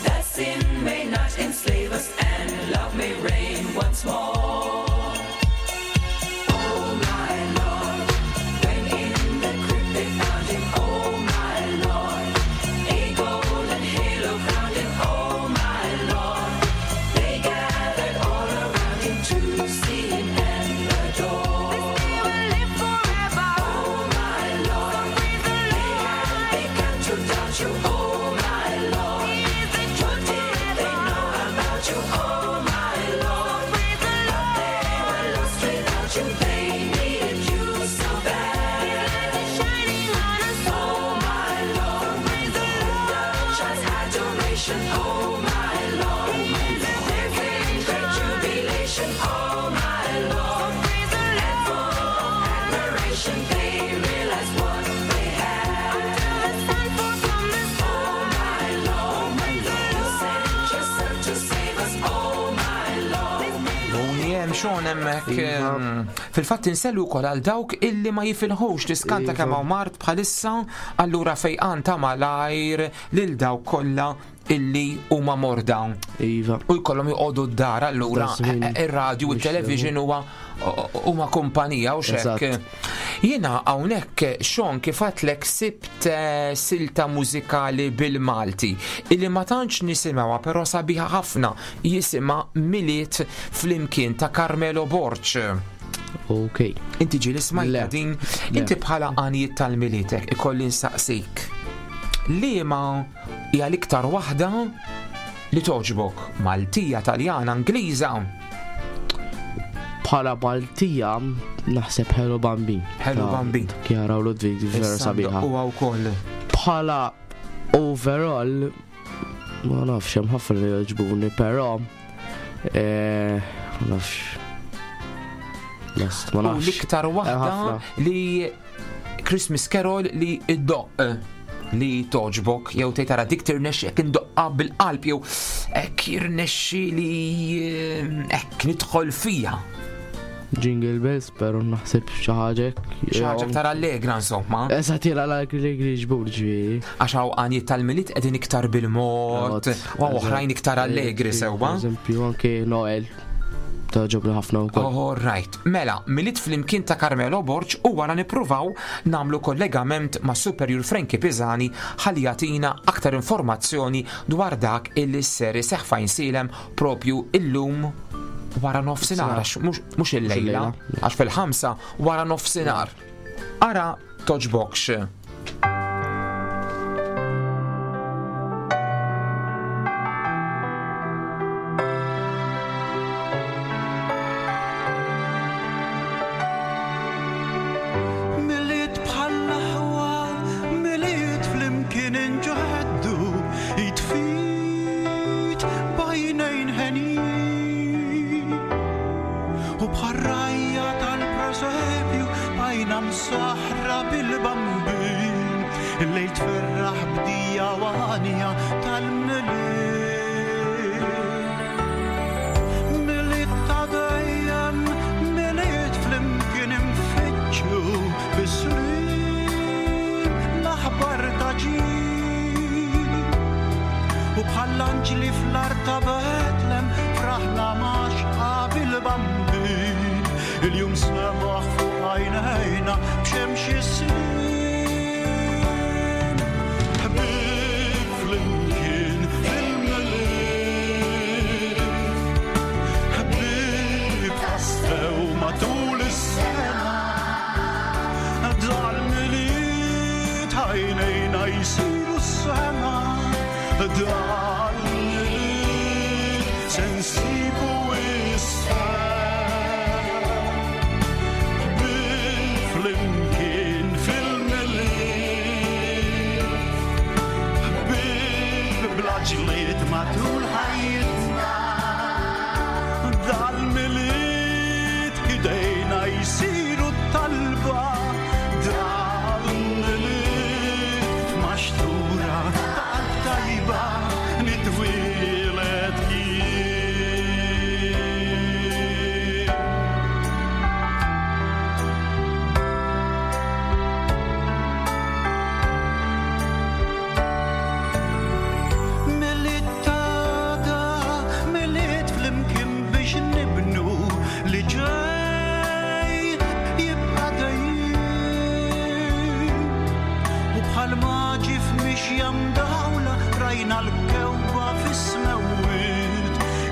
That sin may not enslave us and love may reign once more. Oh my Lord, when in the crypt they found him, oh my Lord, a golden halo crowned him, oh my Lord. They gathered all around him to see him and adore. This day will live forever. Oh my Lord, they had begun to doubt you, oh my Lord. What did they know about you, oh my Lord? But they were lost without you, they needed you so bad. Shining on us. Oh my Lord, the child's adoration, oh my Lord. There came great jubilation, oh my Lord. And full of admiration, they realized what they had. Oh my Lord, you sent your son to save us, oh my Lord. Uni hemm xon hemmhekk fil-fatt insellu wkoll għal dawk illi ma jifilħux tiskanta Iva. kemm hawn mard bħalissa allura fejqan ta' malajr lil dawk kollha illi huma morda. Iva. U jkollhom joqogħdu d-dar allura Da żmien ir-radju u mhux t-television huwa huma kumpanija u xek. Eżatt. Jiena hawnhekk xon kif għatlek sibt eh, silta mużikali bil-Malti illi ma tantx nisimgħuha però sabiħa ħafna jisimha Miliet flimkien ta' Carmelo Borg. Ok. Inti ġieli smajta Le. din, Le. inti bħala għanijiet tal-militek ikolli nsaqsik. Liema hija l-iktar waħda li toġbok? Maltija, Taljana, Ingliża? Bħala Maltija naħseb Hello Bambin. Hello Ta' Bambin. Chiara u Ludwig vera Issa sabiħa. ndoqquha wkoll. Bħala overall ma nafx hemm ħafna li jogħġbuni, però eh, ma nafx. Lest, ma U nafx. l-iktar waħda ħafna. li Christmas Carol li iddoq li toġbok jew tgħid tara dik tirnexxi hekk indoqqa bil-qalb jew hekk jirnexxi li eh, hekk nidħol fija. Jingle Bells, però naħseb xi ħaġa hekk. Xi ħaġa aktar allegra insomma. Eżatt jiena l-allegri ġbur ġifieri. Għax hawn għanijiet tal-miliet qegħdin iktar bil-mod, u hawn oħrajn iktar allegri sewwa. Eżempju anke Noel toġobni ħafna wkoll. All right. Mela, Miliet flimkien ta' Carmelo Borg u wara nippruvaw namlu kollegament ma' Superior Frankie Pisani ħalli jagħtina aktar informazzjoni dwar dak illi ser iseħħ fejn silem propju illum wara nofsinhar għax mhux illejla, għax fil-5 wara nofsinhar. Ara toġbokx. Miliet bħall-aħwa, miliet flimkien inġeddu, jitfit bajnejn ħenin. U bħarrajja tal-presepju bajna msaħra bil-bambin, il-lejl tferraħ bdija għanja tal-miliet. Miliet ta' dejjem, miliet flimkien infittxu bis-slim l-aħbar ta' ġid. U bħall-anġli fl-art ta' Betlem fraħna ma' xqab il-bambin. Il-jum semaħ fuq għajnejna b'xemx is-snin. Ħbieb flimkien fil-miliet. Ħbieb tassew matul is-sena. Dal-miliet għajnejna jsiru s-sema. Dal-miliet se nsibu is-sema. Ħbieb flimkien fil-miliet. Ħbieb bla ġlied matul ħajjitna. Dal-miliet idejna jsiru talba. Dal-miliet maxtura ta' tajba nitwieled jien.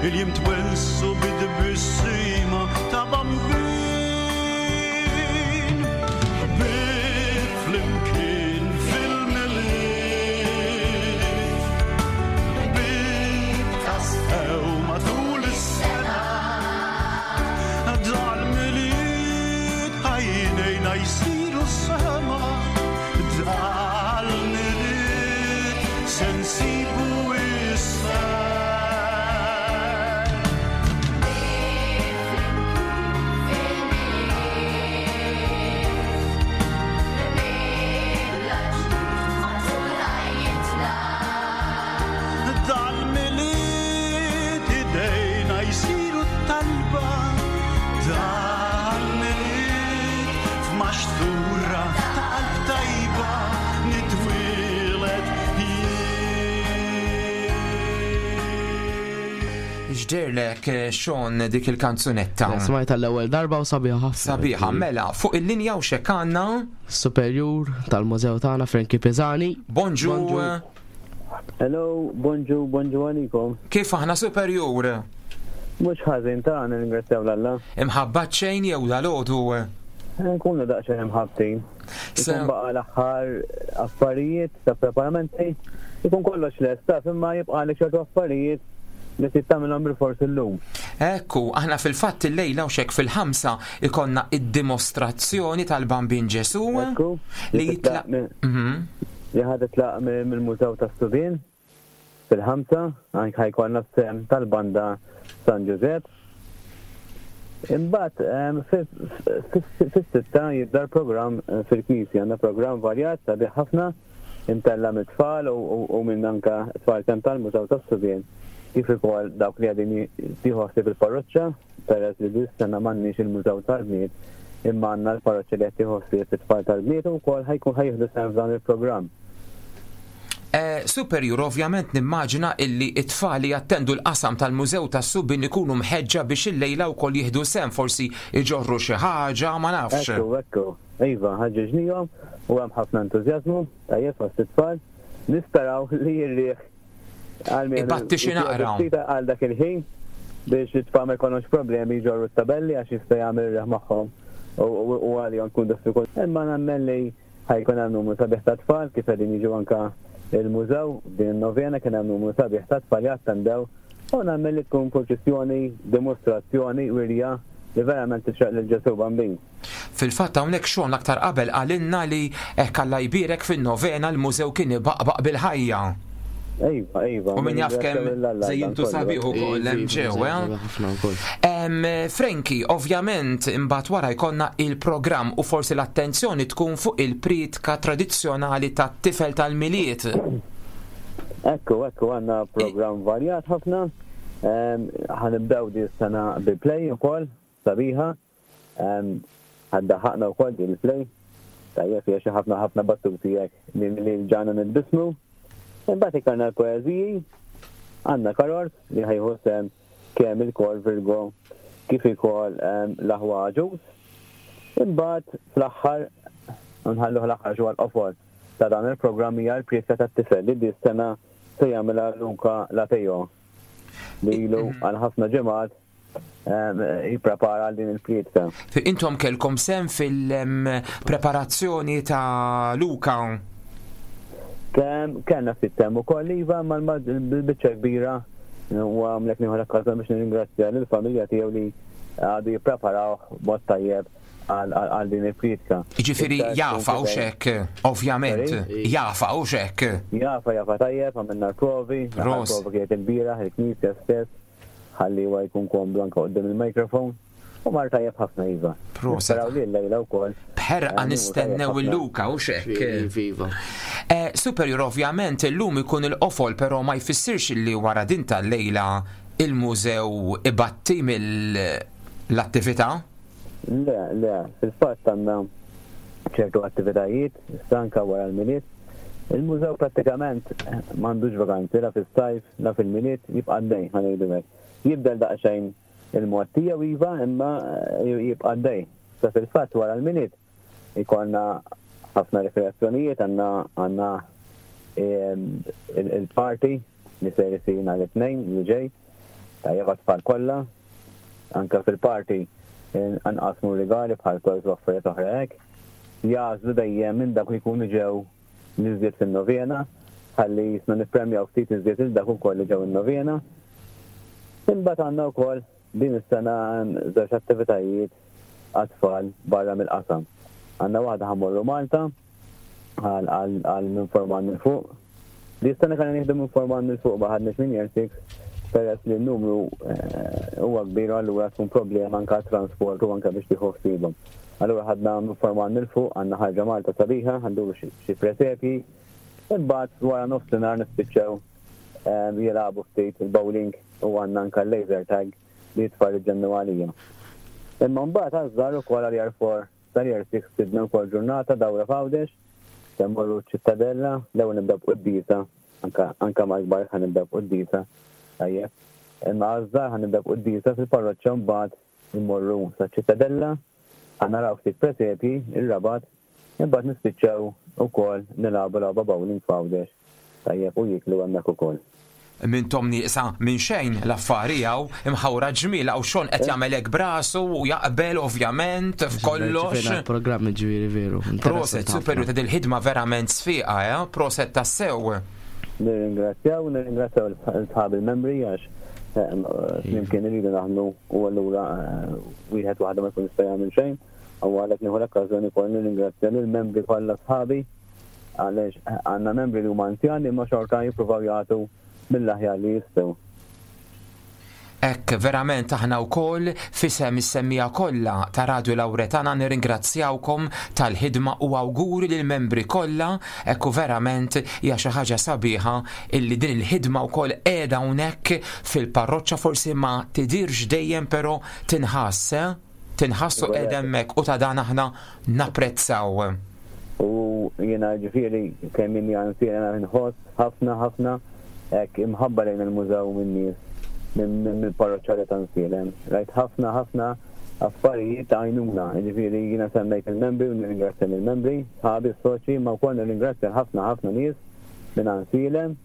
Il-jiem twensu bid-tbissima ta' bambin. Ħbieb flimkien fil-Milied. Ħbieb tassew matul is-sena. Dal-Milied għajnejna jsiru sema. Dal-Milied se nsibu is-sema. Dal-Milied idejna jsiru talba. Dal-Milied f'maxtura ta' qalb tajba nitwieled X'dehrlek, Sean, dik il-kanzunetta? Smajtha l-ewwel darba u sabiħa ħafna. Sabiħa, mela, fuq il-linja u xek għandna? Superjur tal-mużew tagħna Frankie Pisani. Bonġu. Hello, bonġu, bonġu għalikom. Kif aħna superjur? Mhux ħażin ta' nirringrazzjaw l-Alla. Imħabbat xejn jew dal-għodu? Nkunu daqsxejn imħabbtin. Ikun baqa' l-aħħar affarijiet ta' preparamenti, ikun kollox lest taf imma jibqalek ċertu affarijiet li trid tagħmilhom bilfors illum. Ekku, aħna fil-fatt illejla u xek fil-5 ikonna id-dimostrazzjoni tal-Bambin Ġesu li jitlaq Li ħa titlaq mill-Mużew tas-Subien fil-5, anke ħa jkollna s-sehem tal-banda San Ġużepp. Imbagħad fis-6 jibda l-programm fil-Knisja. Għandna programm varjat sabiħ ħafna imtella' mit-tfal u minn anke tfal kemm tal-Mużew tas-Subien kif ukoll dawk li qegħdin jieħu ħsieb il-parroċċa, peress li din is-sena m'għandniex il-Mużew tal-Bniet imma għandna l-parroċċa li qed tieħu ħsieb it-tfal tal-bniet u wkoll ħa jkun ħa jieħdu sehem f'dan il-programm. Superjur, ovvjament nimmaġina illi t-tfal li jattendu l-qasam tal-Mużew tas-Subien ikunu mħeġġa biex illejla wkoll jieħdu sehem, forsi jġorru xi ħaġa, ma nafx. Ekku, ekku. Iva, ħaġġeġnihom u hemm ħafna entużjażmu, tajjeb fost it-tfal. Nisperaw li r-riħ għalmenu Ibatti xi naqra. ftit għal dak il-ħin biex it-tfal ma jkollhomx problemi jġorru t-tabelli għax jista' jagħmel ir-riħ magħhom u għalihom tkun diffikultà. Imma nemmen li ħa jkun hemm numru sabiħ ta' tfal kif qegħdin jiġu anke il-mużew din in-novena kien hemm numru sabiħ ta' tfal li attendew u nemmen li tkun purċissjoni, dimostrazzjoni, wirja li verament tixraq lil Ġesù Bambin. Fil-fatt hawnhekk Sean aktar qabel qalilna li hekk Alla jbierek fin-novena l-mużew kien ibaqbaq bil-ħajja. Iva, iva. U min jaf kemm żejjintu sabiħ ukoll hemm ġew, eh? Frankie, ovvjament imbagħad wara jkollna il-programm u forsi l-attenzjoni tkun fuq il-prietka tradizzjonali tat-tifel tal-Milied. Ekku, ekku, għandna programm varjat ħafna. Ħa nibdew din is-sena bi play ukoll, sabiħa. Ħaddaħaqna wkoll din il-play. Tajjeb fiha xi ħafna ħafna battuti hekk li ġana nitbismu. Imbagħad ikolna l-poeżiji, għandna karors li ħa jieħu sehem kemm il-kor Virgo kif ukoll l-aħwa Aġus. Imbagħad fl-aħħar nħalluh l-aħħar xi l-qofol ta' dan il-programm hija l-prietka tat-tifel li di sena se jagħmilha Luca Lateo li ilu għal ħafna ġimgħat jipprepara għal din il-prietka. Intom kellkom sehem fil-preparazzjoni ta' Luca? Kellna ftit sehem ukoll iva, imma l-biċċa kbira u għamlek nieħu l-okkażjoni biex nirringrazzja lill-familja tiegħu li għadu jippreparawh b'mod tajjeb għal din il-prietka. Jiġifieri jafa u xek, ovvjament, jafa u xek. Jafa, jafa tajjeb, għamilna l-provi, l-provi kienet il-bieraħ, il-knisja stess, ħalli huwa jkun komdu anke quddiem il-mikrofon. U mar tajjeb ħafna iva. Proset. Nisperaw li l-lejla wkoll. B'ħerqa nistennew il-Luca u xek. Viva. Superior ovvjament illum ikun il-qofol, però ma jfissirx li wara din tal-lejla il-mużew ibatti mill-attività? Le, le, fil-fatt għandna ċertu attivitajiet, issa anke wara l-Milied. Il-mużew prattikament m'għandux vakanzi la fis-sajf, la fil-Milied, jibqa' għaddej, ħa ngħidu hekk. Jibdel daqsxejn il-mod tiegħu iva, imma jibqa' għaddej. Sa fil-fatt wara l-Milied ikollna ħafna rikreazzjonijiet, għandna il-party li ser isir nhar it-Tnejn li ġej. Tajjeb għat-tfal kollha. Anke fil-party nqasmu rigali bħal toys u affarijiet oħra hekk. Jagħżlu dejjem minn dawk li jkunu ġew l-iżjed fin-novena ħalli jisna nippremjaw ftit iżjed lil dawk ukoll li ġew in-novena. Imbagħad għandna wkoll din is-sena żewġ attivitajiet għat-tfal barra mill-qasam. Għandna waħda ħa mmorru Malta għal minn Form 1 'il fuq. Di s-sena kellna nieħdu minn Form 1 'il fuq ma ħadniex minn Year 6 peress li n-numru eh, huwa kbir u allura tkun problema anke transport u anke biex tieħu ħsiebhom. Allura ħadna minn Form 1 'il fuq għandna ħarġa Malta sabiħa, ħanduru xi presepji. Imbagħad wara nofsinhar nispiċċaw eh, jilagħbu ftit il-bowling u għandna anke laser tag li t-tfal iġġennu għalija. Imma mbagħad għaż-żgħar ukoll għal Year 4 sal Year 6 ħsibna wkoll ġurnata dawra f'Għawdex, se mmorru ċ-Ċittadella, l-ewwel nibdew b'quddiesa, anke anke mal-kbar ħa nibdew b'quddiesa, tajjeb. Imma għaż-żgħar ħa nibdew b'quddiesa fil-parroċċa mbagħad immorru saċ-Ċittadella, ħa naraw ftit presepji, ir-Rabat, Imbagħad nispiċċaw ukoll nilagħbu logħba bowling f'Għawdex, tajjeb, u jieklu hemmhekk ukoll. M'intom nieqsa minn xejn l-affari hawn, imħawra ġmiel hawn Sean qed jagħmel hekk b'rasu u jaqbel ovvjament f'kollox. Ġifieri programm ġifieri veru. Proset, superju ta' dil-ħidma verament sfiqa, eh? Proset tassew. Nirringrazzjaw, nirringrazzjaw l-sħab il-membri għax eh, flimkien iridu naħdmu u allura eh, wieħed waħda ma jkun jista' jagħmel xejn. U għalhekk nieħu l-okkażjoni wkoll nirringrazzja lill-membri kollha sħabi għaliex għandna membri li huma anzjani imma xorta jippruvaw jagħtu mill-aħjar li jistgħu. Hekk verament aħna wkoll f'isem is-semmiegħa kollha ta' Radio Lauretana nirringrazzjawkom tal-ħidma u awguri lill-membri kollha hekk u verament hija xi ħaġa sabiħa illi din il-ħidma wkoll qiegħda hawnhekk fil-parroċċa forsi ma tidhirx dejjem però tinħass eh? Tinħass u qiegħda hemmhekk u ta' dan aħna napprezzaw. U jiena ġifieri kemm inni anzjana nħoss ħafna ħafna hekk imħabba lejn il-mużew min-nies mill-parroċċali ta' Nsielem. Rajt ħafna ħafna affarijiet ta' għajnuna, ġifieri jiena semmejt il-membri u nirringrazzja lill-membri, sħabi s-soċji, imma wkoll nirringrazzja ħafna ħafna nies minn Għansielem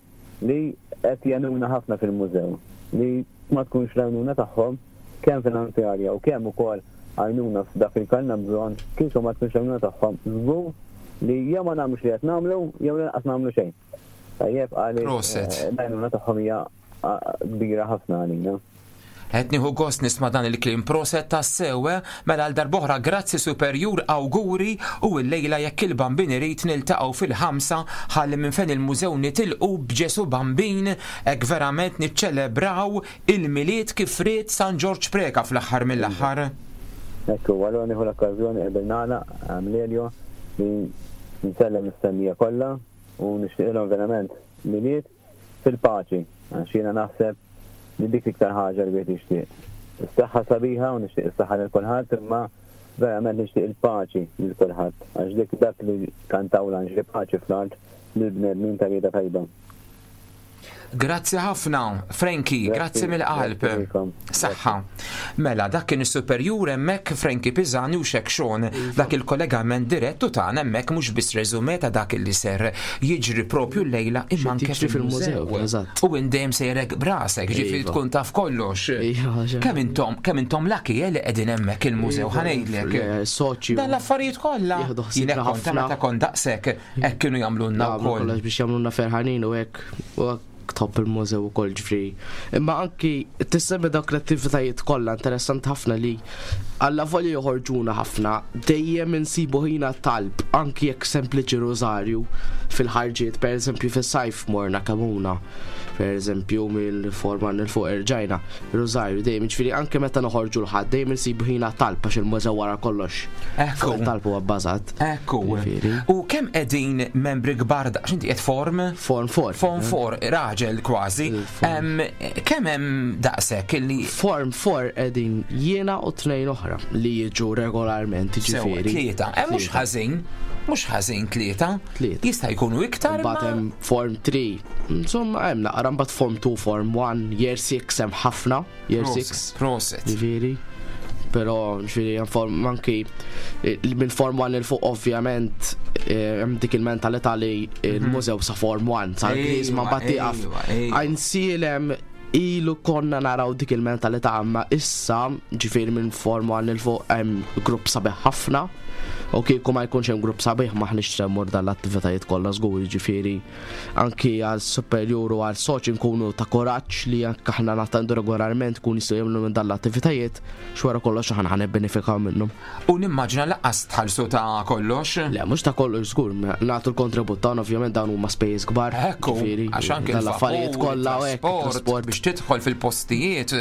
li qed jgħinuna ħafna fil-mużew, li ma tkunx l-għajnuna tagħhom kemm finanzjarja u kemm ukoll għajnuna f'dak li kellna bżonn, kieku ma tkunx l-għajnuna tagħhom, żgur li jew ma nagħmlux li qed nagħmlu jew lanqas nagħmlu xejn. Tajjeb għaliex Proset. eh, l-għajnuna tagħhom hija ah, kbira ħafna għalina. Qed nieħu gost nisma' dan il-kliem proset tassew, eh? Mela għal darb'oħra grazzi superjur awguri u llejla jekk il-Bambin irid niltaqgħu fil-ħamsa ħalli minn fejn il-mużew nitilqu b'Ġesu Bambin hekk verament niċċelebraw Il-Milied kif ried San Ġorġ Preca fl-aħħar mill-aħħar. Hekk hu, allura nieħu l-okkażjoni qabel nagħlaq, Lelio, li nsellem lis-semmiegħa kollha u nixtieqilhom verament Milied fil-paċi, għax jiena naħseb li dik l-iktar ħaġa li wieħed jixtieq. Is-saħħa sabiħa u nixtieq is-saħħa lil kulħadd, imma verament nixtieq il-paċi lil kulħadd, għax dik dak li kantaw l-anġli paċi fl-art lill-bnedmin ta' rieda tajba. Grazzi ħafna, Frankie, grazzi mill-qalb. Saħħa. Mela, dak kien is-superjur hemmhekk Frankie Pisani u Xek Sean, iva. dak il-kollegament dirett u tagħna hemmhekk mhux biss reżume ta' dak li ser jiġri propju llejla imma anke fil-mużew. U indejjem sejrek brasek, ġifieri iva. tkun taf kollox. Iva, kemm intom, kemm intom laki eh, li qegħdin hemmhekk il-mużew iva, ħanejdlek. Soċju. Dan l-affarijiet kollha. Jien kont meta kont daqshekk Hekk kienu jagħmlulna wkoll. Kollox biex jagħmlulna ferħanin u hekk u hekk tħobb il-mużew ukoll ġifri. Imma anki tissemmi dawk l-attivitajiet kollha interessanti ħafna li alla volja joħorġuna ħafna dejjem insibu ħina talb anki jekk sempliċi rużarju fil-ħarġiet, pereżempju fis-sajf morna Kamuna, pereżempju mill-forma nil fuq irġajna, rużarju dejjem ġifieri anke meta noħorġu l-ħadd dejjem insibu ħina talb għax il-mużew wara kollox. Ekku. Talb huwa bbażat. Ekku. U kemm qegħdin membri kbar daqs inti qed form? Form 4. Form 4, raġel kważi. Kemm hemm daqshekk illi Form 4 qegħdin jiena u tnejn oħra li jiġu regolarment jiġifieri. Tlieta, eh, mhux ħażin, mhux ħażin tlieta. Tlieta. Jista' jkunu iktar. Mbagħad hemm form 3. Insomma hemm naqra mbagħad form 2, form 1, year 6 hemm ħafna. Year 6. Proset. Ġifieri. Però ġifieri hemm form anki eh, minn form 1 il fuq ovvjament eh, hemm dik il-mentalità li mhm. il-mużew sa form 1 sa l-Griżma mbagħad tieqaf. Għajnsielem Ilu konna naraw dik il-mentalità imma issa ġifieri minn forma għal fuq hemm grupp sabiħ ħafna. U kieku ma jkunx hemm grupp sabiħ maħniex se mmur dan l-attivitajiet kollha żgur, ġifieri anki għal superjur u għal soċi nkunu ta' kuraġġ li anke aħna nattendu regolarment kun jistgħu jagħmlu minn dan l-attivitajiet x'wara kollox aħna ħa nibbenefikaw minnhom. U nimmaġina lanqas tħallsu ta' kollox. Le, mhux ta' kollox żgur, nagħtu l-kontribut tagħna ovvjament dawn huma spejjeż kbar. Ekku, għax anke l-affarijiet kollha u hekk, trasport biex tidħol fil-postijiet.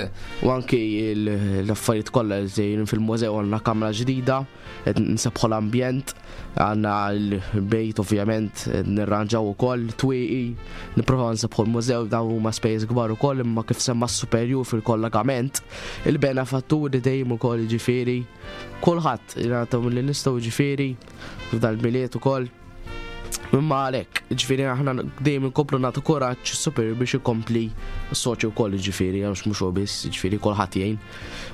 U anki l-affarijiet kollha li sejrin fil-mużew għandna kamra ġdida, qed nsebbħu l-ambjent, għandna l-bejt ovvjament nirranġaw ukoll twieqi, nipprovaw nsebbħu l-mużew dawn huma spejjeż kbar ukoll imma kif semma s-superjur fil-kollegament, il-benefatturi dejjem ukoll jiġifieri kulħadd jingħataw milli nistgħu jiġifieri f'dal-Milied ukoll. Imma għalhekk, ġifieri aħna dejjem inkomplu nagħtu kuraġġ super biex ikompli s-soċju wkoll ġifieri għax mhux hu biss, ġifieri kulħadd jgħin.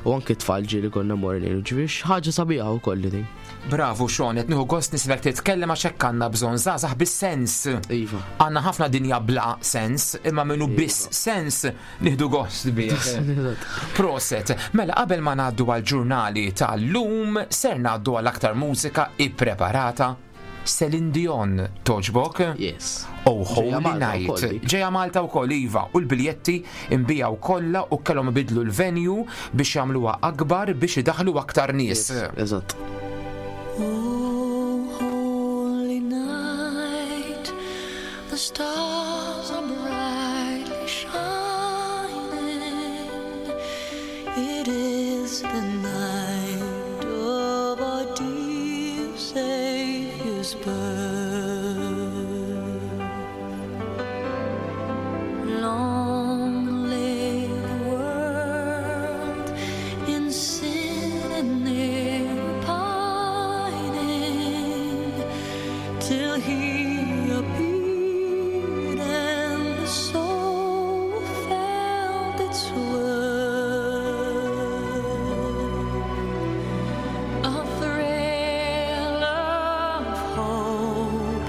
U anke tfal ġieli konna morru ngħinu, ġifieri ħaġa sabiħa wkoll li din. Bravu Sean, qed nieħu gost nismek titkellem għax hekk għandna bżonn żgħażagħ bis-sens. Iva. Għandna ħafna dinja bla sens, imma minnu iva. biss sens nieħdu gost bih. Proset, mela qabel ma ngħaddu għall-ġurnali tal-lum ser ngħaddu għal aktar mużika ippreparata Celine Dion toġbok? Yes. Oh Holy Night. Ġeja Malta wkoll iva u l-biljetti imbijaw kollha u kellhom ibidlu l-venue biex jagħmluha akbar biex idaħlu aktar nies. Eżatt. Oh, holy night, the stars are brightly shining. It is the night of our dear Savior's birth. Long lay the world in sin and error pining, till he appeared and the soul felt its worth. A thrill of hope,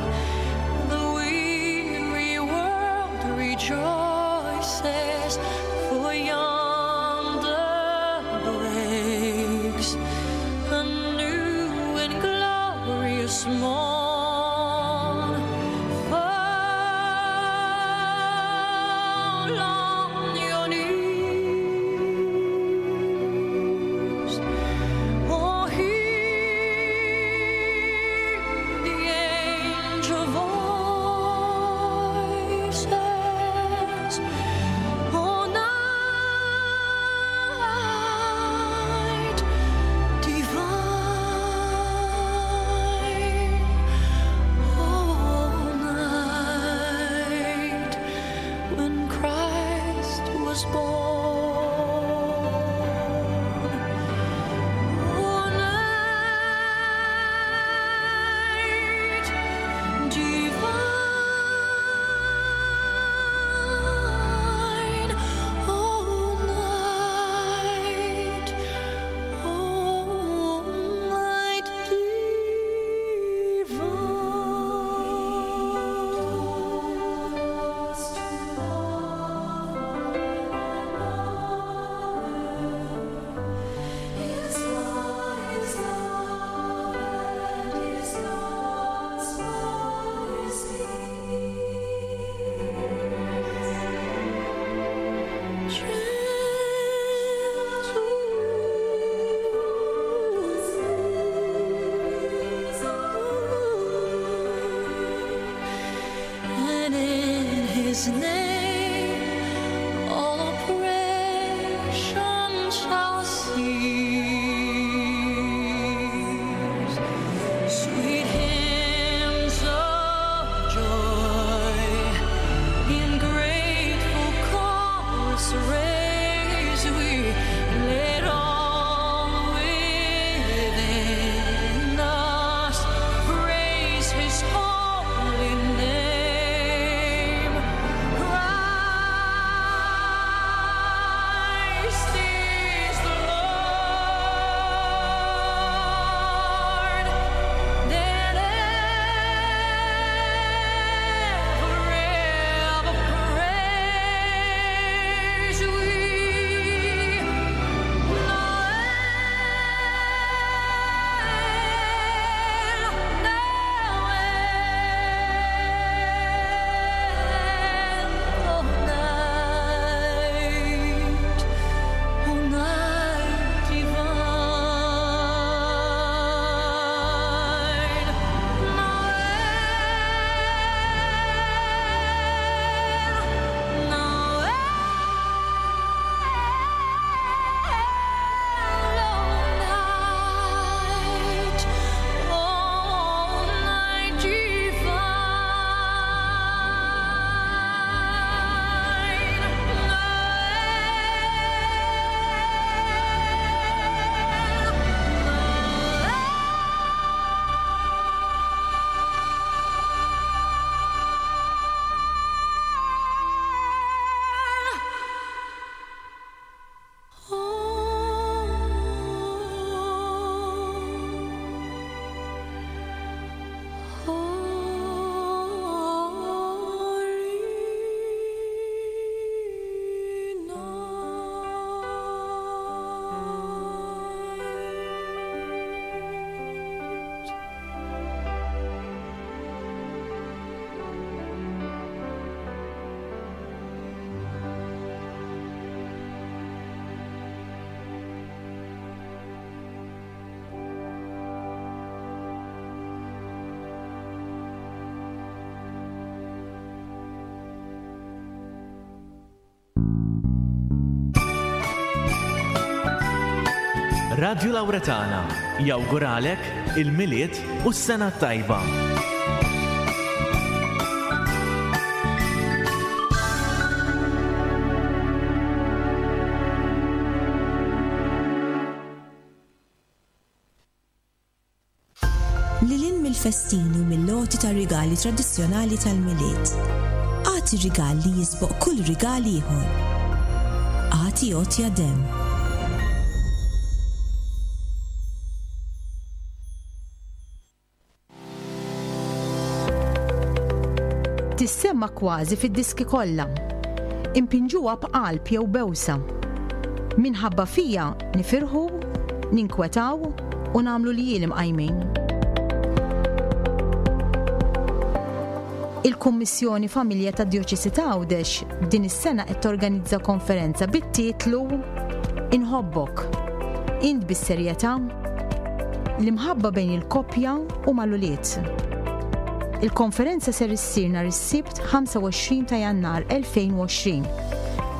the weary world rejoices, for yonder breaks a new and glorious morn. Fall on your knees. Oh, hear the angel voices. Oh, night divine. Oh, night when Christ was born. Oh, night divine. Oh, night. Oh, night And in his name all oppression shall cease. Sweet hymns of joy in grateful chorus raise we, let all within us praise his holy name. Christ is the Lord. Then ever, ever praise Radju Lawretana jawguralek il-Milied u s-Sena t-Tajba. Lil hinn mill-festini u mill-għoti ta' rigali tradizzjonali tal-Milied. Agħti rigal li jisboq kull rigal ieħor. Agħti għotja demm. Tissemma kważi fid-diski kollha. Impinġuha b'qalb jew bewsa. Minħabba fija nifirħu, ninkwetaw u nagħmlu ljieli mqajmin. Il-Kummissjoni Familja tad-Djoċesi ta' Għawdex din is-sena qed torganizza konferenza bit-titlu Inħobbok. Int bis-serjetà? L-imħabba bejn il-koppja u mal-ulied. Il-konferenza ser issir nhar is-Sibt 25 ta' Jannar 2020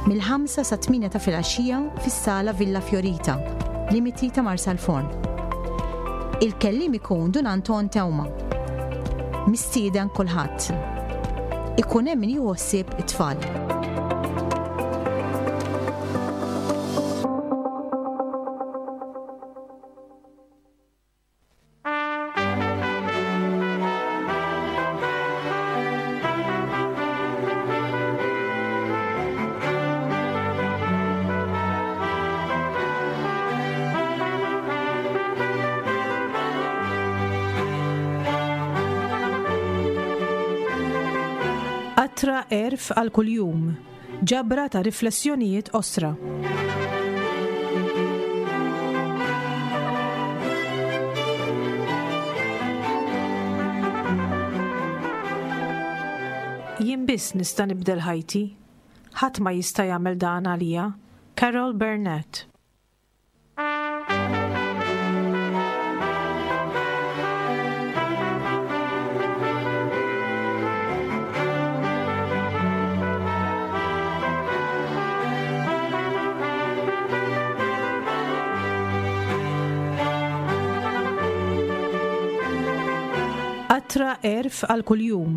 mill-5 sa 8 ta' filgħaxija fis-Sala Villa Fiorita, limiti ta' Marsalforn. Il-kelliem ikun Dun Anton Teuma. Mistieden kulħadd. Ikun hemm min jieħu ħsieb it-tfal. Qatra għerf għal kuljum. Ġabra ta' riflessjonijiet qosra. Jien biss nista' nibdel ħajti. Ħadd ma jista' jagħmel dan għalija. Carol Burnett. Qatra għerf għal kuljum.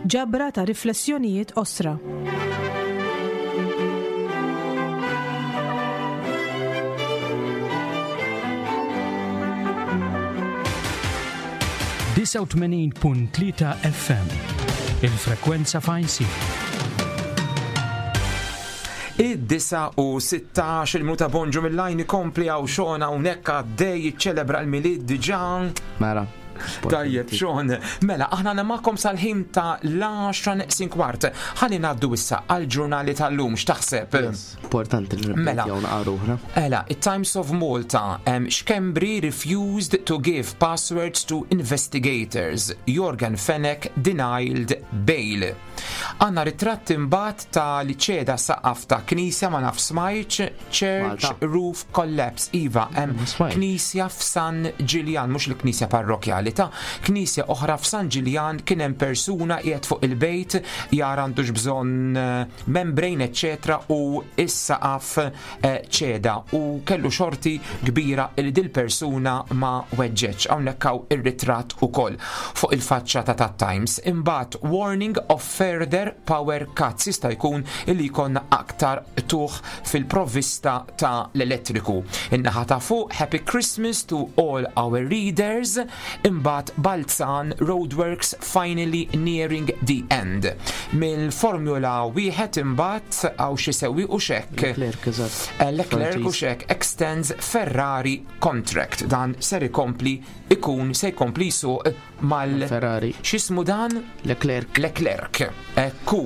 Ġabra ta' riflessjonijiet qosra. .3 FM, il-frekwenza fajnsi. Id-9 u 16 il-minuta bonġu mill-lajn ikompli għaw xona unek għaddej jiċċelebra l-milied diġa. Mela. Tajjeb, Sean. Mela, aħna namakom sal-ħin ta' l-10 neqsin kwart. Ħalli ngħaddu issa għal-ġurnali tal-lum, x'taħseb? Importanti li Mela. naqra Ela, it-Times of Malta, um, Schembri refused to give passwords to investigators. Jorgen Fenech denied bail. Għanna ritratt imbagħad ta' li ċeda saqaf ta' knisja ma naf smajtx, Church Malta. Roof Collapse. Iva, hemm knisja f'San Ġiljan, mhux il-knisja parrokjali ta' knisja oħra f'San Ġiljan kien hemm persuna qiegħed fuq il-bejt jara għandux bżonn eh, membrane eċċetera u is-saqaf eh, ċeda u kellu xorti kbira li dil-persuna ma weġġeċ. Hawnhekk hawn ir-ritratt ukoll fuq il-faċċata ta' Times. Imbagħad warning of further power cuts jista' jkun li jkollna aktar tuħ fil-provvista ta' l-elettriku. In-naħa ta' fuq Happy Christmas to all our readers. Imbagħad Balzan Roadworks finally nearing the end. Mill-Formula wieħed imbagħad hawn xi sewwieq u xekk. Leclerc, eżatt. Eh, Leclerc u xek extends Ferrari contract. Dan ser ikompli ikun se jkompli jsuq mal Ferrari. X'ismu dan? Leclerc. Leclerc. Ekku.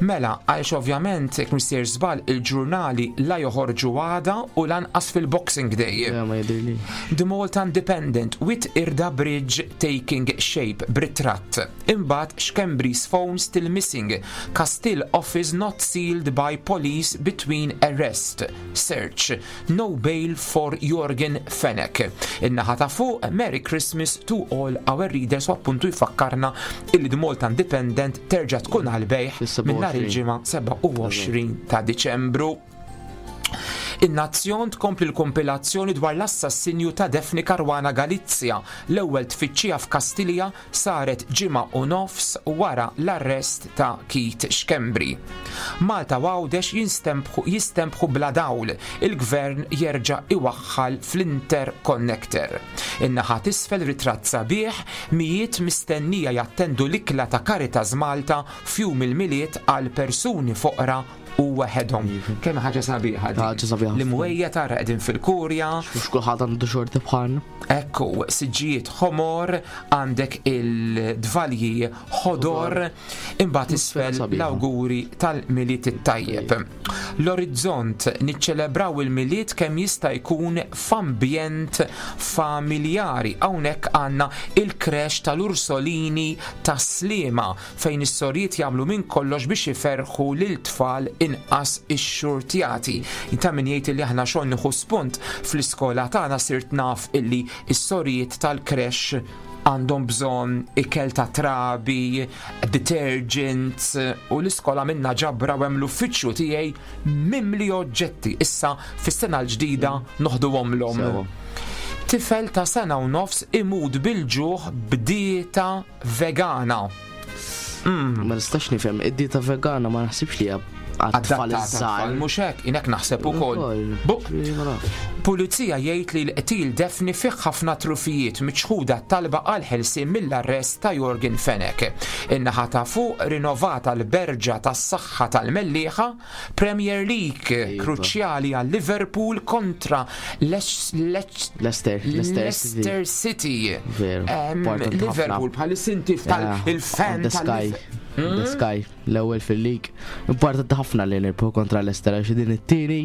Mela, għaliex ovvjament jekk missier żball il-ġurnali la joħorġu għada u lanqas fil-Boxing Day. Ma jidhirli. The Malta Independent with Irda Bridge taking shape b'ritratt. Imbagħad Schembri's phone still missing. Castile office not sealed by police between arrest. Search. No bail for Jorgen Fenech. In-naħa ta' fuq Merry Christmas to all our readers u appuntu jfakkarna illi The Malta Independent terġa' tkun għal bejħ minn nhar il-ġimgħa 27 ta' Diċembru. In-Nazzjon tkompli l-kumpilazzjoni dwar l-assassinju ta' Daphne Caruana Galizia. L-ewwel tfittxija f'Kastilja saret ġimgħa u nofs wara l-arrest ta' Keith Schembri. Malta u Għawdex jistenbħu bla dawl, il-Gvern jerġa' iwaħħal fl-interconnector. In-naħa t'isfel ritratt sabiħ, mijiet mistennija jattendu l-ikla ta' Caritas Malta f'Jum il-Milied għal persuni foqra u waħedhom. Kemm ħaġa sabiħa din. Ħaġa sabiħa. L-imwejja tara qegħdin fil-kurja. Mhux kulħadd għandu xorti bħalna. Ekku, siġġijiet ħomor, għandek il-dvalji ħodor, imbagħad isfel l-awguri tal-Milied it-tajjeb. L-Orizzont niċċelebraw il-Milied kemm jista' jkun f'ambjent familjari. Hawnhekk għandna il-krex tal-Ursolini tas-Sliema fejn is-sorijiet jagħmlu minn kollox biex iferrħu lil tfal inqas ixxurtjati. Ta' min jgħid illi aħna xogħol nieħu spunt fl-iskola tagħna sirt naf illi s-sorijiet tal-creche għandhom bżonn ikel ta' trabi, detergents u l-iskola minna ġabra u hemm l-uffiċċju tiegħi mimli oġġetti. Issa fis-sena l-ġdida noħduhomlhom. Tifel ta' sena u nofs imut bil-ġuħ b'dieta vegana. Ma nistax nifhem, id-dieta vegana ma naħsibx li hija għat-tfal iż-żgħar. Mhux hekk, inek naħseb ukoll. Pulizija jgħid li l-qtil Daphne fih ħafna trufijiet miċħuda talba għal ħelsien mill-arrest ta' Yorgen Fenech. In-naħa ta' fuq rinovata l-berġa tas-saħħa tal-Mellieħa Premier League iva. kruċjali għal Liverpool kontra Leicester, Leicester City. Liverpool bħal sinti tal-fan Sky. Hmm? The Sky, l-ewwel fil-league. Importanti ħafna li nirbħu kontra Leicester għax din it-tieni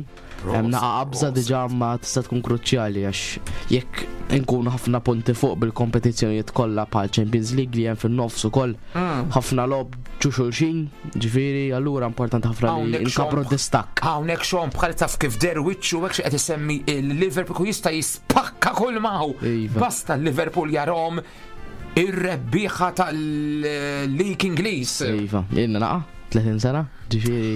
hemm naqa' qabża diġà ma tista' tkun kruċjali għax jekk inkunu ħafna punti fuq bil-kompetizzjonijiet kollha bħal Champions League li hemm fin-nofs ukoll hmm. ħafna logħob ġu xulxin, ġifieri allura importanti ħafna li nkabru distakk. Hawnhekk xogħol bħal taf kif der wiċċu hekk xi qed isemmi il-Liverpool jista' jispakka kull maħu. Iva. Basta l-Liverpool jarhom ir-rebbieħa tal-League Ingliż. Iva, ilna naqa' 30 sena, ġifieri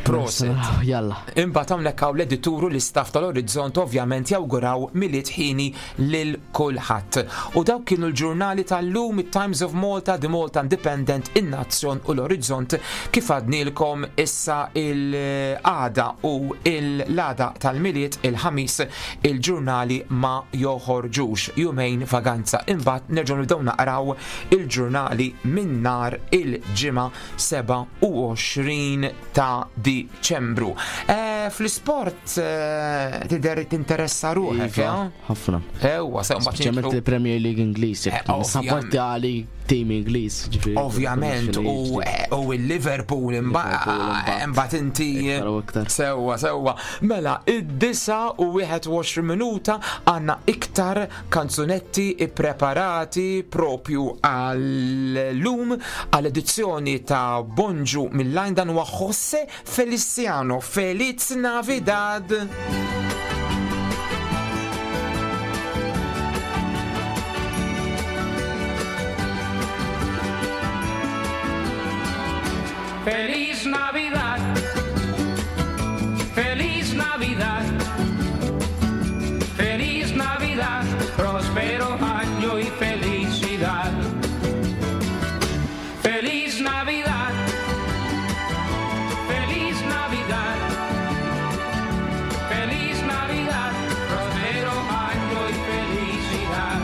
Proset. Jalla. Imbagħad hawnhekk hawn l-edituru l-istaff tal-Orizzont ovvjament jawguraw Milied ħini lil kulħadd. U dawk kienu l-ġurnali tal-lum it-Times of Malta, The Malta Independent, in-Nazzjon u l-Orizzont kif għadnilkom issa il-għada u l-għada tal-Milied il-Ħamis il-ġurnali ma joħorġux jumejn vaganza. Imbagħad nerġgħu nibdew naqraw il-ġurnali minn nhar il-Ġimgħa 27 ta' Diċembru. Eh, fl-isport eh, tidher tinteressa ruħek, iva, eh? Ħafna. Ewa, sew mbagħad. Speċjalment il-Premier League Ingliż, eh, sapporti għali tim Ingliż, ġifieri. Ovvjament, u il-Liverpool imbagħad inti. Sewwa, sewwa. Mela, id-9 u 21 minuta għandna iktar kanzunetti ippreparati propju għal-lum għal-edizzjoni ta' Bonġu mill-lajn dan huwa Jose Feliciano. Feliz Navidad! Feliz Navidad. Feliz Navidad. Feliz Navidad. Próspero año y felicidad. Feliz Navidad. Feliz Navidad. Feliz Navidad. Próspero año y felicidad.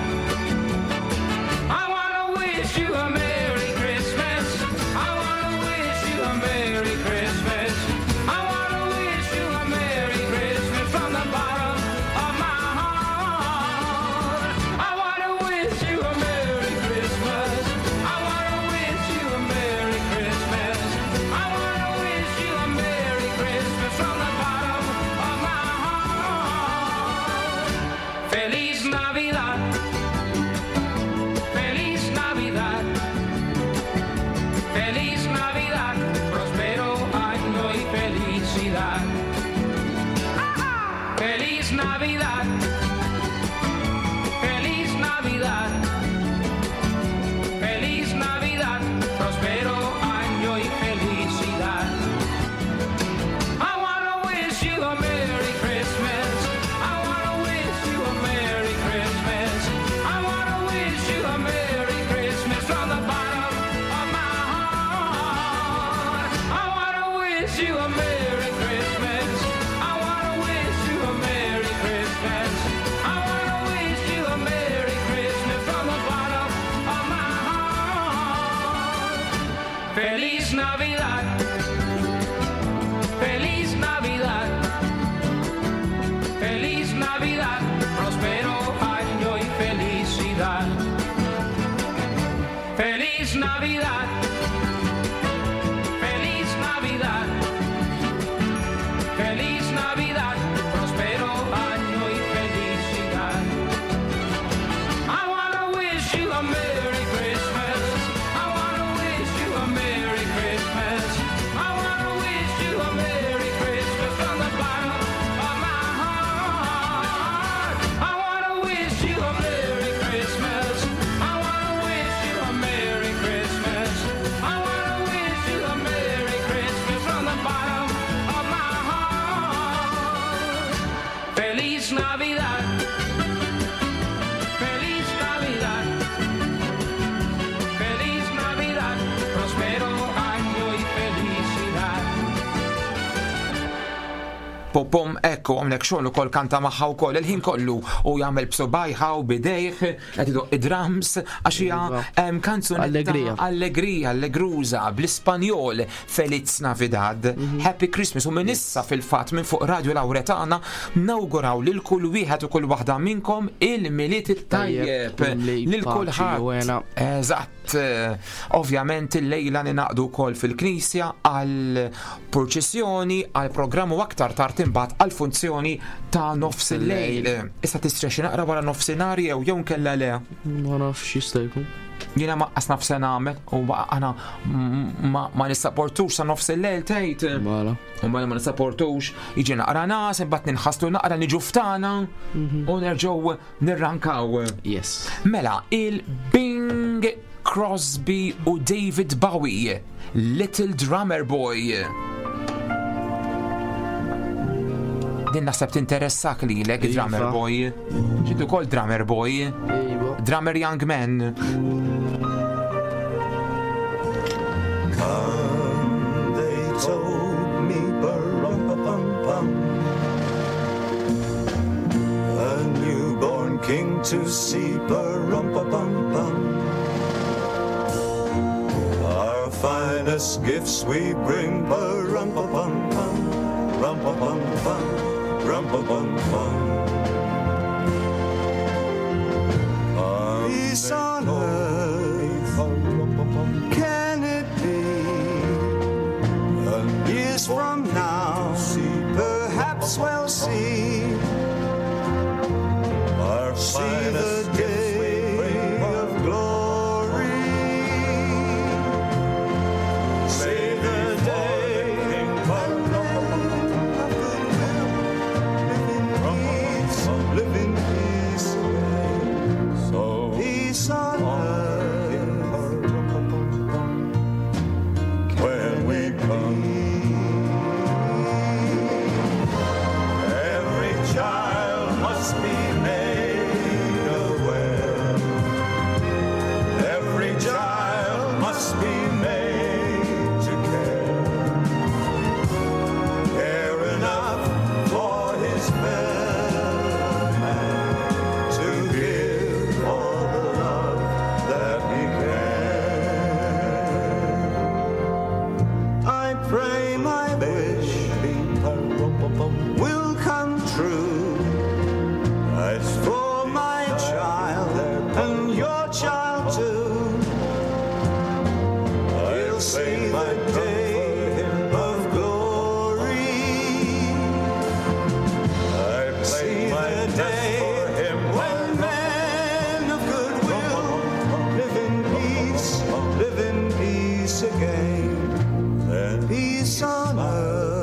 I wanna wish you a Merry Christmas. I wanna wish you a Merry Christmas. I wanna wish you a Merry Christmas from the bottom of my heart. I wanna wish you a Merry Christmas. I wanna wish you a Merry Christmas. I wanna wish you a Merry Christmas from the bottom of my heart. Feliz Navidad. Feliz Navidad. Feliz Navidad, próspero año y felicidad. Feliz Navidad. Feliz Navidad. Feliz Navidad, próspero año y felicidad. I wanna wish you a Merry Navidad. Feliz Navidad. Feliz Navidad. Prospero año y felicidad. I wanna wish you a Merry Christmas. I wanna wish you a Merry Christmas. I wanna wish you a Merry Christmas from the bottom of my heart. I wanna wish you a Merry Christmas. I wanna wish you a Merry Christmas. I wanna wish you a Merry Christmas from the bottom of my heart. Feliz Navidad. Feliz Navidad. Feliz Navidad. Prospero año y felicidad. Pom, ekku, għamlek xogħol ukoll kanta magħha wkoll il-ħin kollu u jagħmel b'subajħa u bidejh qed idoq id-drums għax hija Iva. kanzunetta Allegrija. Allegrija, allegruża bl-Ispanjol Feliz Navidad, Mhm. Happy Christmas u minn issa fil-fatt minn fuq Radio Lauretana nawguraw lil kull wieħed u kull waħda minnkom il-Milied it-tajjeb Tajjeb, lil paċi u kulħadd. hena. Eżatt, ovvjament il-lejla ninaqdu wkoll fil-knisja għal purċissjoni, għal programm u aktar tard imbagħad għal funzjoni ta' nofs il-lejl. Issa tistrex naqra wara nofsinhar jew jew nkella le. Ma nafx jista' jkun. Jiena ma qas naf se nagħmel u aħna ma nissaportux sa nofs il-lejl tgħid. Mela. U mela ma nissaportux, jiġi naqra nas, imbagħad ninħaslu naqra niġu ftana u nerġgħu nirrankaw. Yes. Mela, il-Bing Crosby u David Bowie, Little Drummer Boy. Din naħseb tinteressak lilek, Iva. Drummer Boy. Ġitu kol Drummer Boy. Iva. Drummer Young Man. Come, they told me, ba-rum-pa-pum-pum. A newborn king to see, ba-rum-pa-pum-pum. Our finest gifts we bring, ba-rum-pa-pum-pum, rum-pa-pum-pum, rum-pa-pum-pum. Peace on earth, can it be? Years from now, perhaps we'll see. Our See the finest gifts we day bring, of glory. See the day when men of goodwill live in peace, live in peace again. So Peace on earth. when we come. Every child must be made aware. Every child must be made to care. Care enough for his fellow man to give all the love that he can. I pray my wish will come true for my child and your child too. He'll see the day of glory. See the day when men of goodwill live in peace, live in peace again. Peace on earth.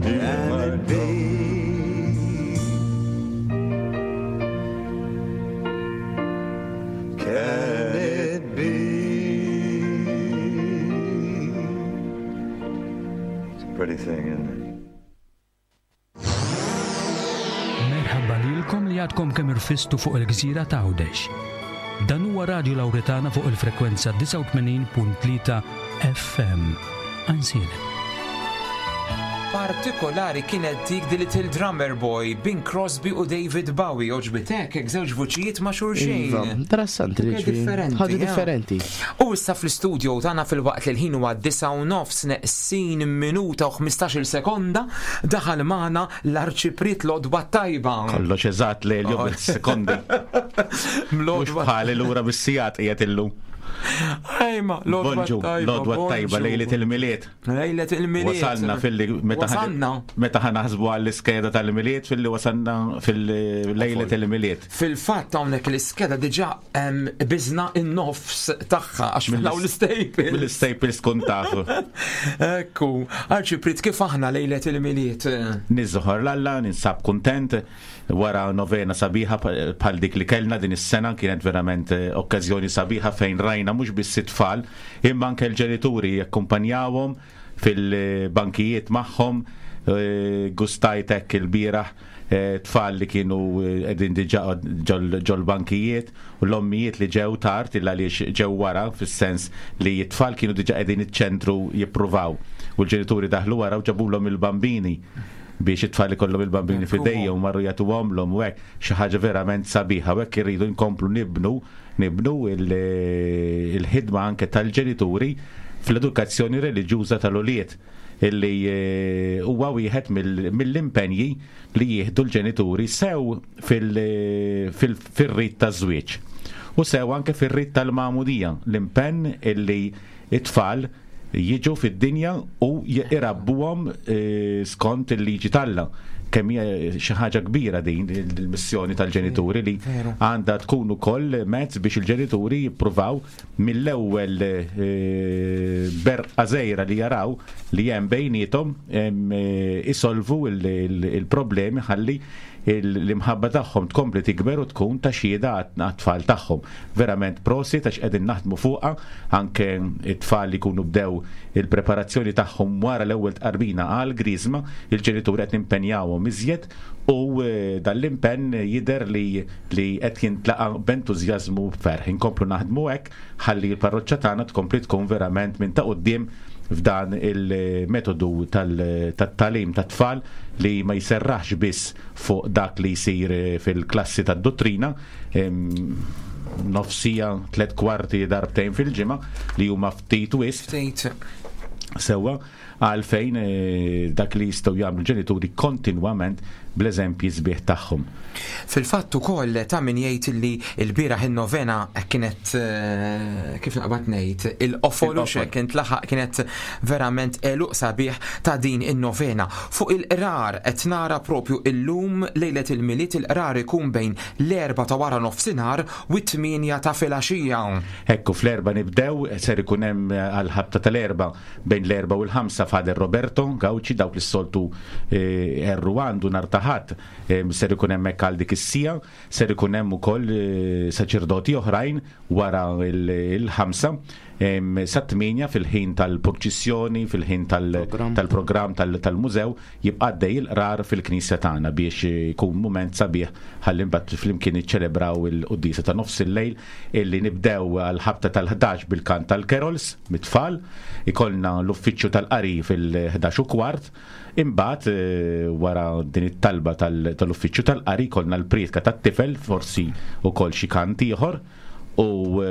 Can it be? Can it be? It's a pretty thing, isn't it? Merħaba lilkom li għadkom kemm irfistu fuq il-gżira ta' Għawdex. Dan huwa Radio Lauretana fuq il-frekwenza 89.3 FM. Ansielem. partikolari kienet dik The Little Drummer Boy, Bing Crosby u David Bowie, oġbitek, hekk żewġ vuċijiet ma' xulxin. Iva, interessanti li differenti. Ħaġa differenti. U issa fl-istudio tagħna fil-waqt li l-ħin huwa 9 u nofs neqsin minuta u 15-il sekonda daħal magħna l-Arċipriet l-Għodwa t-Tajba. Kollox eżatt li l-jum sekondi. Mhux bħali lura bis-sigħat qiegħed illum. Ejma, l-Għodwa Bonġu, t-Tajba. l-Għodwa t-Tajba, bonġu. lejlet il-Milied. Lejlet il-Milied. Wasalna fil-li meta Wasalna. meta ħa naħsbu għall-iskeda tal-Milied fil-li wasalna fil-lejlet il-Milied. Fil-fatt hawnhekk l-iskeda diġà biżna in-nofs tagħha għax mill l-staples. Mill-staples kun tafu. Ekku, Arċipriet kif aħna lejlet il-Milied? Niżħor l-Alla, ninsab kuntent wara novena sabiħa bħal dik li kellna din is-sena kienet verament okkażjoni sabiħa fejn rajna mhux biss it-tfal imma anke l-ġenituri jakkumpanjawhom fil-bankijiet magħhom gustajt hekk il-bieraħ tfal li kienu qegħdin diġà ġol-bankijiet u l-ommijiet li ġew tard illa għaliex ġew wara fis-sens li t-tfal kienu diġà qegħdin iċ-ċentru jippruvaw u l-ġenituri daħlu wara u ġabulhom il-bambini biex it-tfal ikollhom il-bambini f'idejhom marru jagħtuhomlhom u hekk xi ħaġa verament sabiħa u hekk irridu nkomplu nibnu il-ħidma anke tal-ġenituri fl-edukazzjoni reliġjuża tal-ulied illi huwa wieħed mill-impenji li jieħdu l-ġenituri sew fil-rit taż-żwieġ u sew anke fir-rit tal-magħmudija, l-impenn illi it-tfal jiġu fid-dinja u irabbuhom skont il-liġi t'Alla. Kemm hija xi ħaġa kbira din il-missjoni tal-ġenituri li għandha tkun ukoll mezz biex il-ġenituri jippruvaw mill-ewwel berqa żgħira li jaraw li hemm bejniethom isolvu il-problemi ħalli l-imħabba tagħhom tkompli tikber u tkun ta' xhieda għat-tfal tagħhom. Verament prosit għax qegħdin naħdmu fuqha anke it-tfal li jkunu bdew il-preparazzjoni tagħhom wara l-ewwel tqarbina għal Griżma, il-ġenituri qed nimpenjawhom iżjed u dan l-impenn jidher li qed jintlaqa b'entużjażmu b'ferħ. Inkomplu naħdmu hekk ħalli l-parroċċa tagħna tkompli tkun verament minn ta' quddiem f'dan il-metodu tat-tagħlim tat-tfal li ma jserraħx biss fuq dak li jsir fil-klassi tad-dottrina nofsija, 3/4 darbtejn fil-ġimgħa li huma ftit wisq. Ftit. Sewwa, għalfejn dak li jistgħu jagħmlu ġenituri kontinwament bl-eżempji sbieħ tagħhom. Fil-fatt ukoll ta' min jgħid li l-bieraħ in-novena kienet kif naqbad ngħid il-qofol u Il-qofol. kien laħaq kienet verament għeluq sabiħ ta' din in-novena. Fuq il-qrar qed nara propju illum lejlet il-Milied il-qrar ikun bejn l-4 ta' wara nofsinhar u t-8 ta' filgħaxija. Ekku fl-4 nibdew, ser ikun hemm għal-ħabta tal-4 bejn l-4 u l-5 Father Roberto Gauci dawk li s-soltu erru għandu nhar ta' Ħadd ser ikun hemmhekk għal dik is-siegħa, ser ikun hemm ukoll saċerdoti oħrajn wara il-5 sa 8 fil-ħin tal-purċissjoni, fil-ħin tal-programm tal-mużew jibqa' għaddej il-qrar fil-knisja tagħna biex ikun mument sabiħ ħalli mbagħad flimkien iċċelebraw il-quddiesa ta' nofs il-lejl illi nibdew għal-ħabta tal-11 bil-kant tal-carols mit-tfal, ikollna l-uffiċċju tal-qari fil-11 u kwart, imbagħad wara din it-talba tal-uffiċċju tal-qari ikollna l-prietka tat-tifel, forsi ukoll xi kant ieħor, u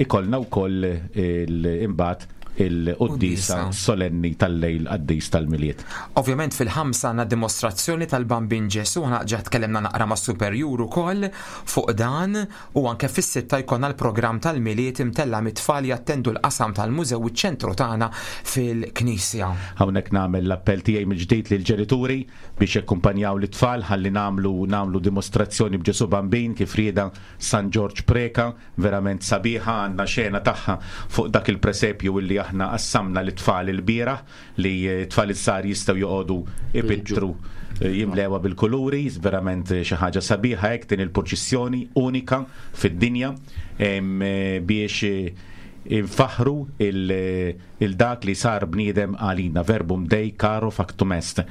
ikollna wkoll imbagħad il-quddiesa Quddiesa. solenni tal-lejl qaddis tal-Milied. Ovvjament fil-5 għandna dimostrazzjoni tal-Bambin Ġesu, aħna ġa tkellimna naqra ma' superjur ukoll fuq dan u anke fis-6 jkollna l-programm tal-Milied imtella mit-tfal jattendu l-qasam tal-mużew u ċ-ċentru tagħna fil-Knisja. Hawnhekk nagħmel l-appell tiegħi mill-ġdid lill-ġenituri biex jakkumpanjaw l-tfal ħalli nagħmlu dimostrazzjoni b'Ġesu Bambin kif rieda San Ġorġ Preka, verament sabiħa għandna xena tagħha fuq dak il-presepju illi aħna qassamna lit-tfal il-bieraħ li t-tfal iż-żgħar jistgħu joqogħdu ipittru jimlewa bil-kuluri, verament xi ħaġa sabiħa hekk din il-purċissjoni unika fid-dinja biex infaħru il-dak li sar bniedem għalina, verbum Dei caro factum est.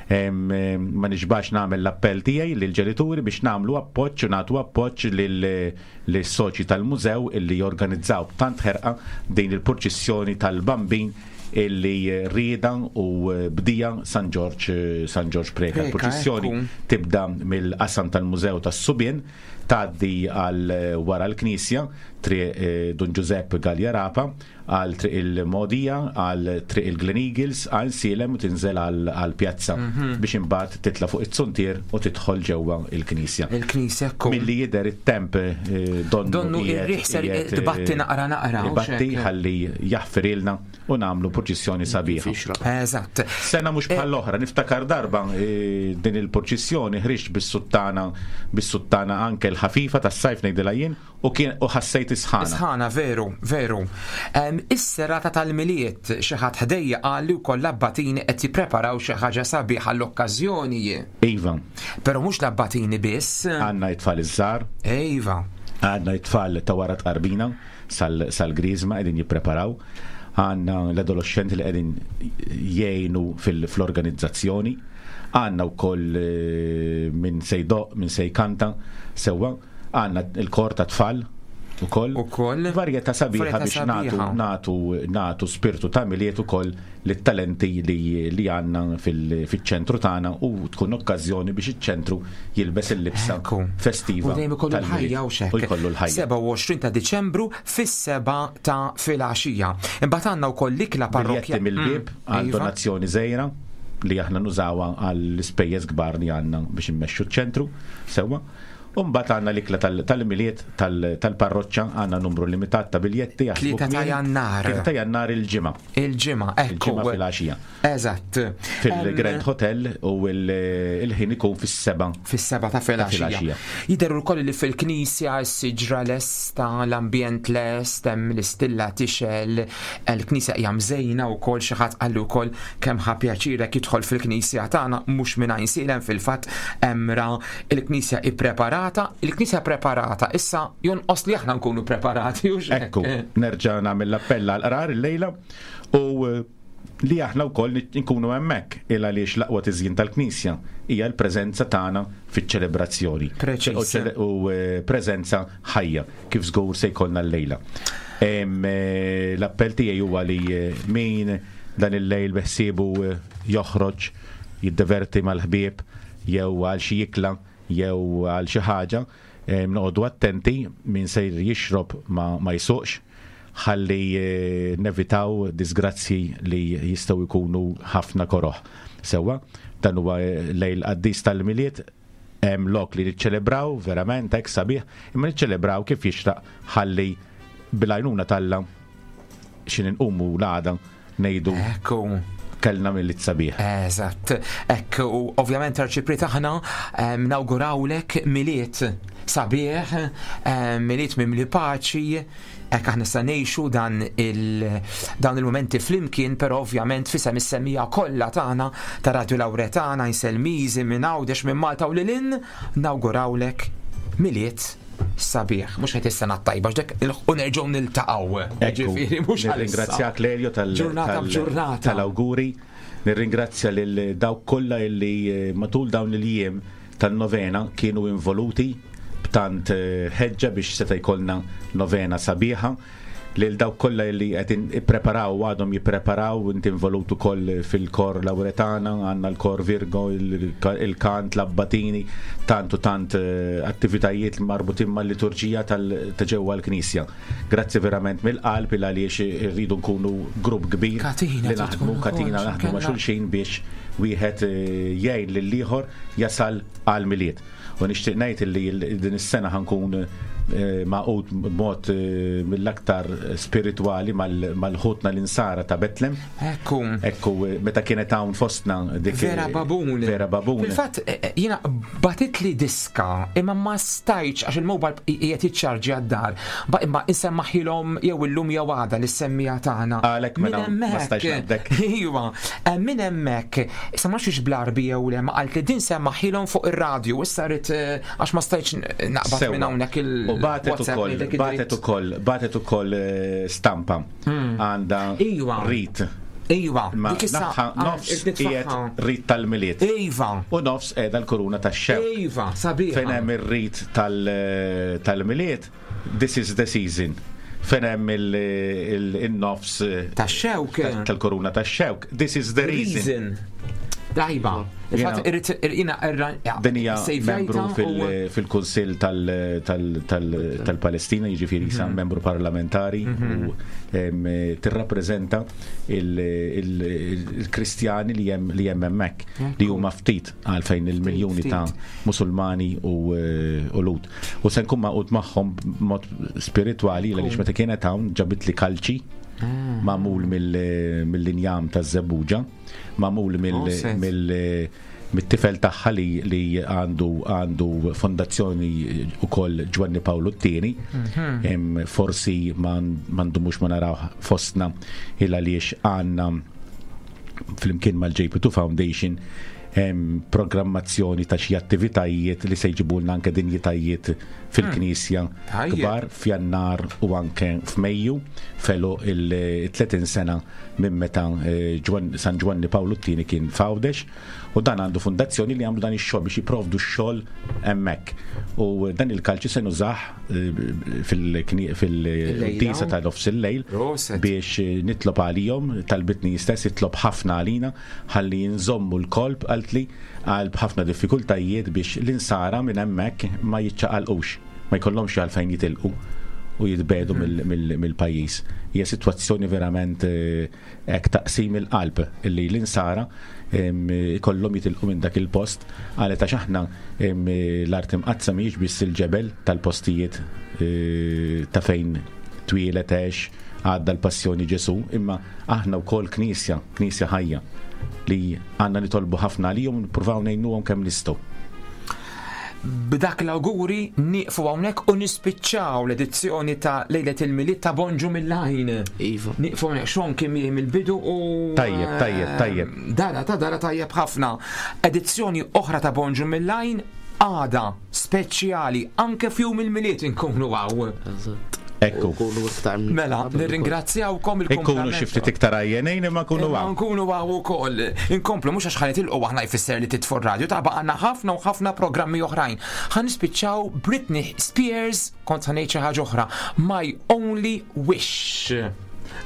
Ma nixbax nagħmel l-appell tiegħi lill-ġenituri biex nagħmlu appoġġ u nagħtu appoġġ lis-soċi tal-mużew illi jorganizzaw b'tant ħerqa din il-purċissjoni tal-Bambin illi rieda u bdija San Ġorġ San Ġorġ Preca. Preca, Il-purċissjoni ekku. tibda mill-qasam tal-Mużew tas-Subien, tgħaddi għal wara l-Knisja, Triq Dun Ġużepp Galea Rapa, għal Triq il-Mogħdija, għal Triq il-Glen Eagles, għal Sielem u tinżel għal pjazza biex imbagħad titla' fuq it-zuntier u tidħol ġewwa l-Knisja. Il-Knisja ekku. Milli jidher it-temp donnu Donnu ir-riħ ser tbatti naqra naqra, u Ibatti x'hekk. ħalli jaħfirilna u nagħmlu purċissjoni sabiħa. Eżatt. Sena mhux bħall-oħra, niftakar darba din il-purċissjoni ħriġt bis-suttana bis-suttana anke l-ħafifa tas-sajf ngħidilha jien u kien u ħassejt is-sħana. Sħana, veru, veru. Is-serata tal-Milied xi ħadd ħdejja qal li wkoll l-abbatini qed jippreparaw xi ħaġa sabiħa għall-okkażjoni. Iva. Però mhux l-abbatini biss. Għandna it-tfal iż-żgħar. Iva. Għandna it-tfal ta' wara tqarbina sal-Griżma qegħdin jippreparaw. Għandna l-adolescenti li qegħdin jgħinu fl-organizzazzjoni. Għandna wkoll min se jdoqq, min se jkanta sewwa. Għandna il-kor ta' tfal ukoll. Ukoll. Varjetà sabiħa Varjetà biex nagħtu sabiħa. nagħtu nagħtu spirtu ta' Milied ukoll lit-talenti li li għandna fiċ-ċentru tagħna u tkun okkażjoni biex iċ-ċentru jilbes il-libsa festiva. U dejjem ikollu tal-Milied. l-ħajja u x'hekk. U jkollu l-ħajja. 27 ta' Diċembru fis-7 ta' filgħaxija. Imbagħad għandna wkoll l-ikla parrokkja. Biljetti mill-bieb għal Iva. donazzjoni żgħira li aħna nużawha għall-ispejjeż kbar li għandna biex immexxu ċ-ċentru sewwa. U mbagħad għandna l-ikla tal-Milied tal-parroċċa, għandna numru limitat ta' biljetti jaħsbu 3 ta' kmieni. Jannar. 3 ta' Jannar il-ġimgħa. Il-ġimgħa, ekku. Il-ġimgħa filgħaxija. Eżatt. Fil-Grand Hotel u il-ħin ikun fis-7. Fis-7 ta' filgħaxija. Jidher ukoll li fil-knisja s-siġra lesta, l-ambjent lest, hemm l-istilla tixel, il-knisja hija mżejna wkoll xi ħadd qalli wkoll kemm ħa pjaċirek jidħol fil-knisja tagħna mhux minn Għajnsielem fil-fatt hemm ra il-knisja ippreparata, il-knisja preparata, issa jonqos li aħna nkunu preparati u x'hekk. Ekku, nerġa' nagħmel l-appell għal qrar illejla u li aħna wkoll nkunu hemmhekk il għaliex l-aqwa tiżjin tal-Knisja hija l-preżenza tagħna fiċ-ċelebrazzjoni. Preċiż. U preżenza ħajja kif żgur se jkollna llejla. L-appell tiegħi huwa li min dan il-lejl beħsiebu joħroġ jiddeverti mal-ħbieb jew għal xi ikla jew għal xi ħaġa, noqogħdu attenti min sejr jixrob ma jsuqx ħalli nevitaw disgrazzji li jistgħu jkunu ħafna koroħ. Sewwa, dan huwa lejl qaddis tal-Milied, hemm lok li niċċelebraw verament hekk sabiħ, imma niċċelebraw kif jixraq ħalli bil-għajnuna t'Alla xi nqumu l-għada ngħidu Ekku. kellna Milied sabiħ. Eżatt. Ekk, u ovvjament arċipriet aħna nawgurawlek Milied sabiħ, Milied mimli paċi, hekk aħna sa ngħixu dan dawn il-mumenti flimkien, però ovvjament fisem is-semija kollha tagħna ta' Radio Lauretana, Inselmiżi minn Għawdex, minn Malta u lil hinn, nawgurawlek Milied sabiħ. Mhux qed is-sena t-tajba, x'dek u nerġgħu niltaqgħu. Ekku, Ġifieri mhux għalissa. nirringrazzjak Lelio Ġurnata b'ġurnata. tal-awguri, nirringrazzja lil dawk kollha illi matul dawn il-jiem tan-novena kienu involuti b'tant ħeġġa biex seta' jkollna novena sabiħa. Lil dawk kollha li qed ippreparaw u għadhom jippreparaw, inti involut ukoll fil-kor Lauretana, għandna l-kor Virgo, il-kant, l-abbatini, tant u tant attivitajiet marbutin mal-liturġija ta' ġewwa l-Knisja. Grazzi verament mill-qalb il għaliex irridu nkunu grupp kbir Katina li trid naħdmu, tkun ukoll, katina naħdmu ma' x'kellha. xulxin biex wieħed jgħin lill-ieħor jasal għal Milied. U nixtieq ngħid li din is-sena ħankun maqut b'mod mill-aktar spiritwali mal-ħutna l-insara ta' Betlem. Ekku. Ekku, meta kienet hawn fostna dik Vera Babun. Vera Babun. Fil-fatt, jiena batitli diska, imma ma stajtx għax il-mobile qiegħed jiċċarġi għad-dar. Ba imma insemmaħilhom jew illum jew għada li semmija tagħna. Għalhekk mela Minn ma stajtx hemmhekk. naqbdek. Iva, minn hemmhekk, issa ma nafx bl-Arbi jew le, ma qalt li din semmaħilhom fuq ir-radju, issa rrid għax ma stajtx naqbad Sewwa. minn hawnhekk il U batet WhatsApp ukoll, ngħidlek batet id-dritt. ukoll, batet ukoll stampa għandha Iva. rit. Iva, Ma dik issa naħa nofs irrid nitfaħħa. qiegħed rit tal-Milied. Iva. U nofs qiegħda l-kuruna tax-xewk. Iva, sabiħa. Fejn hemm ir-rit tal-Milied, this is the season. Fejn hemm il-nofs tax-xewk tal-koruna tax-xewk. This is the reason. Dajba. Il-fatt irrid irqina Din hija membru fil-Kunsill tal-Palestina, jiġifieri sa membru parlamentari u tirrappreżenta il-Kristjani li hemm li hemm hemmhekk li huma ftit għalfejn il-miljuni ta' Musulmani u Lhud. U se nkun magħqud magħhom b'mod spiritwali għaliex meta kienet hawn ġabitli kalċi magħmul mill-injam taż-żebbuġa, magħmul mill-tifel tagħha li għandu għandu fondazzjoni ukoll Ġwanni Pawlu t-tieni. Forsi ma ndumux ma naraw fostna il għaliex għandna flimkien mal-JP2 Foundation programmazzjoni ta' xi attivitajiet li se jġibulna anke dinjitajiet fil-Knisja kbar f'Jannar u anke f'Mejju felu il-30 sena minn meta eh, San Ġwanni Pawlu t-tieni kien f'Għawdex u dan għandu fundazzjoni li għamlu dan ix-xogħol biex jipprovdu x-xogħol hemmhekk. U dan il-kalċi se nużah eh, fil-disa ta' nofs il-lejl biex eh, nitlob għalihom, talbitni stess jitlob ħafna għalina ħalli nżommu l-kolb qaltli għal b'ħafna diffikultajiet biex l-insara minn hemmhekk ma jiċċaqalqux, ma jkollhomx għalfejn jitilqu u jitbedu mill-pajjiż. Hija sitwazzjoni verament eh, hekk taqsim il-qalb li l-insara ikollhom jitilqu minn dak il-post qalet għax aħna l-art imqaddsa mhijiex biss il-ġebel tal-postijiet eh, ta' fejn twieled għex għadda l-passjoni Ġesu, imma aħna wkoll knisja, knisja ħajja li għandna nitolbu ħafna għalihom u nippruvaw ngħinuhom kemm nistgħu. B'dak l-awguri nieqfu hawnhekk u nispiċċaw l-edizzjoni ta' Lejlet il-Milied ta' Bonġu mill-Għajn. Iva. Nieqfu hawnhekk xon kien miegħi mill-bidu u Tajjeb, tajjeb, tajjeb. Dara ta' dara tajjeb ħafna. Edizzjoni oħra ta' Bonġu mill-Għajn għada speċjali anke f'jum il-Milied inkunu hawn. Eżatt. Ekku. Mela, nirringrazzjawkom il Ikunu xi ftit iktar għajjenejn imma nkunu hawn. Nkunu hawn ukoll. Inkomplu mhux għax ħanet ilqgħu aħna jfisser li titfu radio ta' għandna ħafna u ħafna programmi oħrajn. Ħa nispiċċaw Britney Spears kont ħa ngħid xi ħaġa oħra. My Only Wish.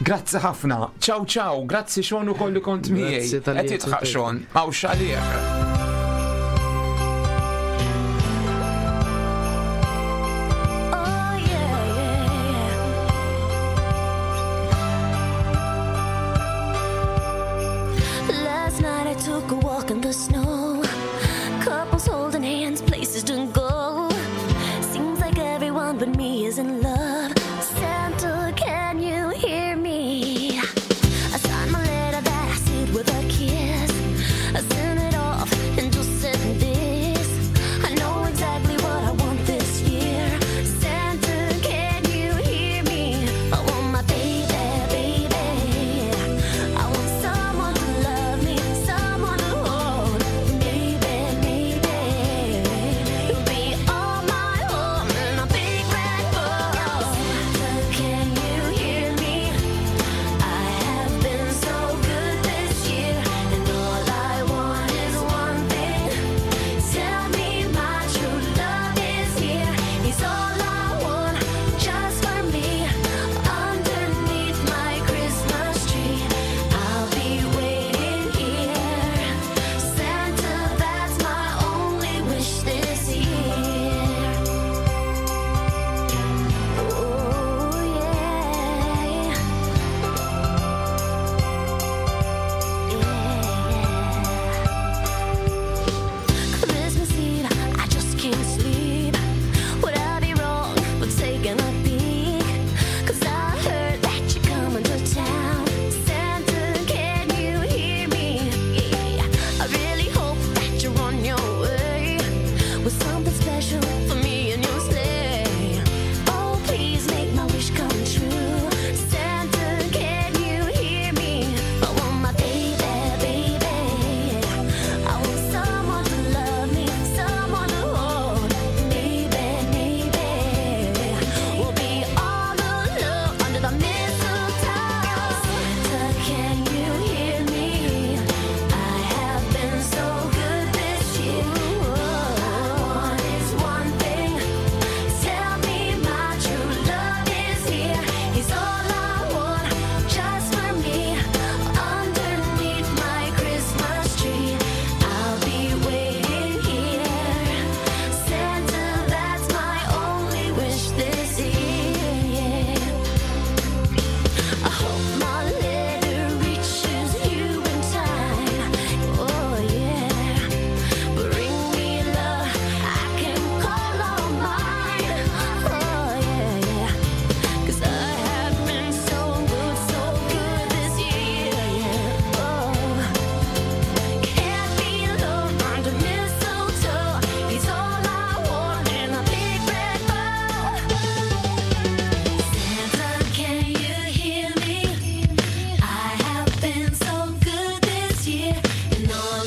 Grazzi ħafna. Ciao ciao, grazzi Sean ukoll li kont miegħi. Qed jitħaq Sean, hawn xalih. Took a walk in the snow. Couples holding hands, places to go. Seems like everyone but me is in love. Santa, can you hear me? I signed my letter that I sealed with a kiss. I sent it off and just said this. I know exactly what I want this year. Santa, can you hear me? I want my baby, baby. I want someone to love me, someone to hold. You're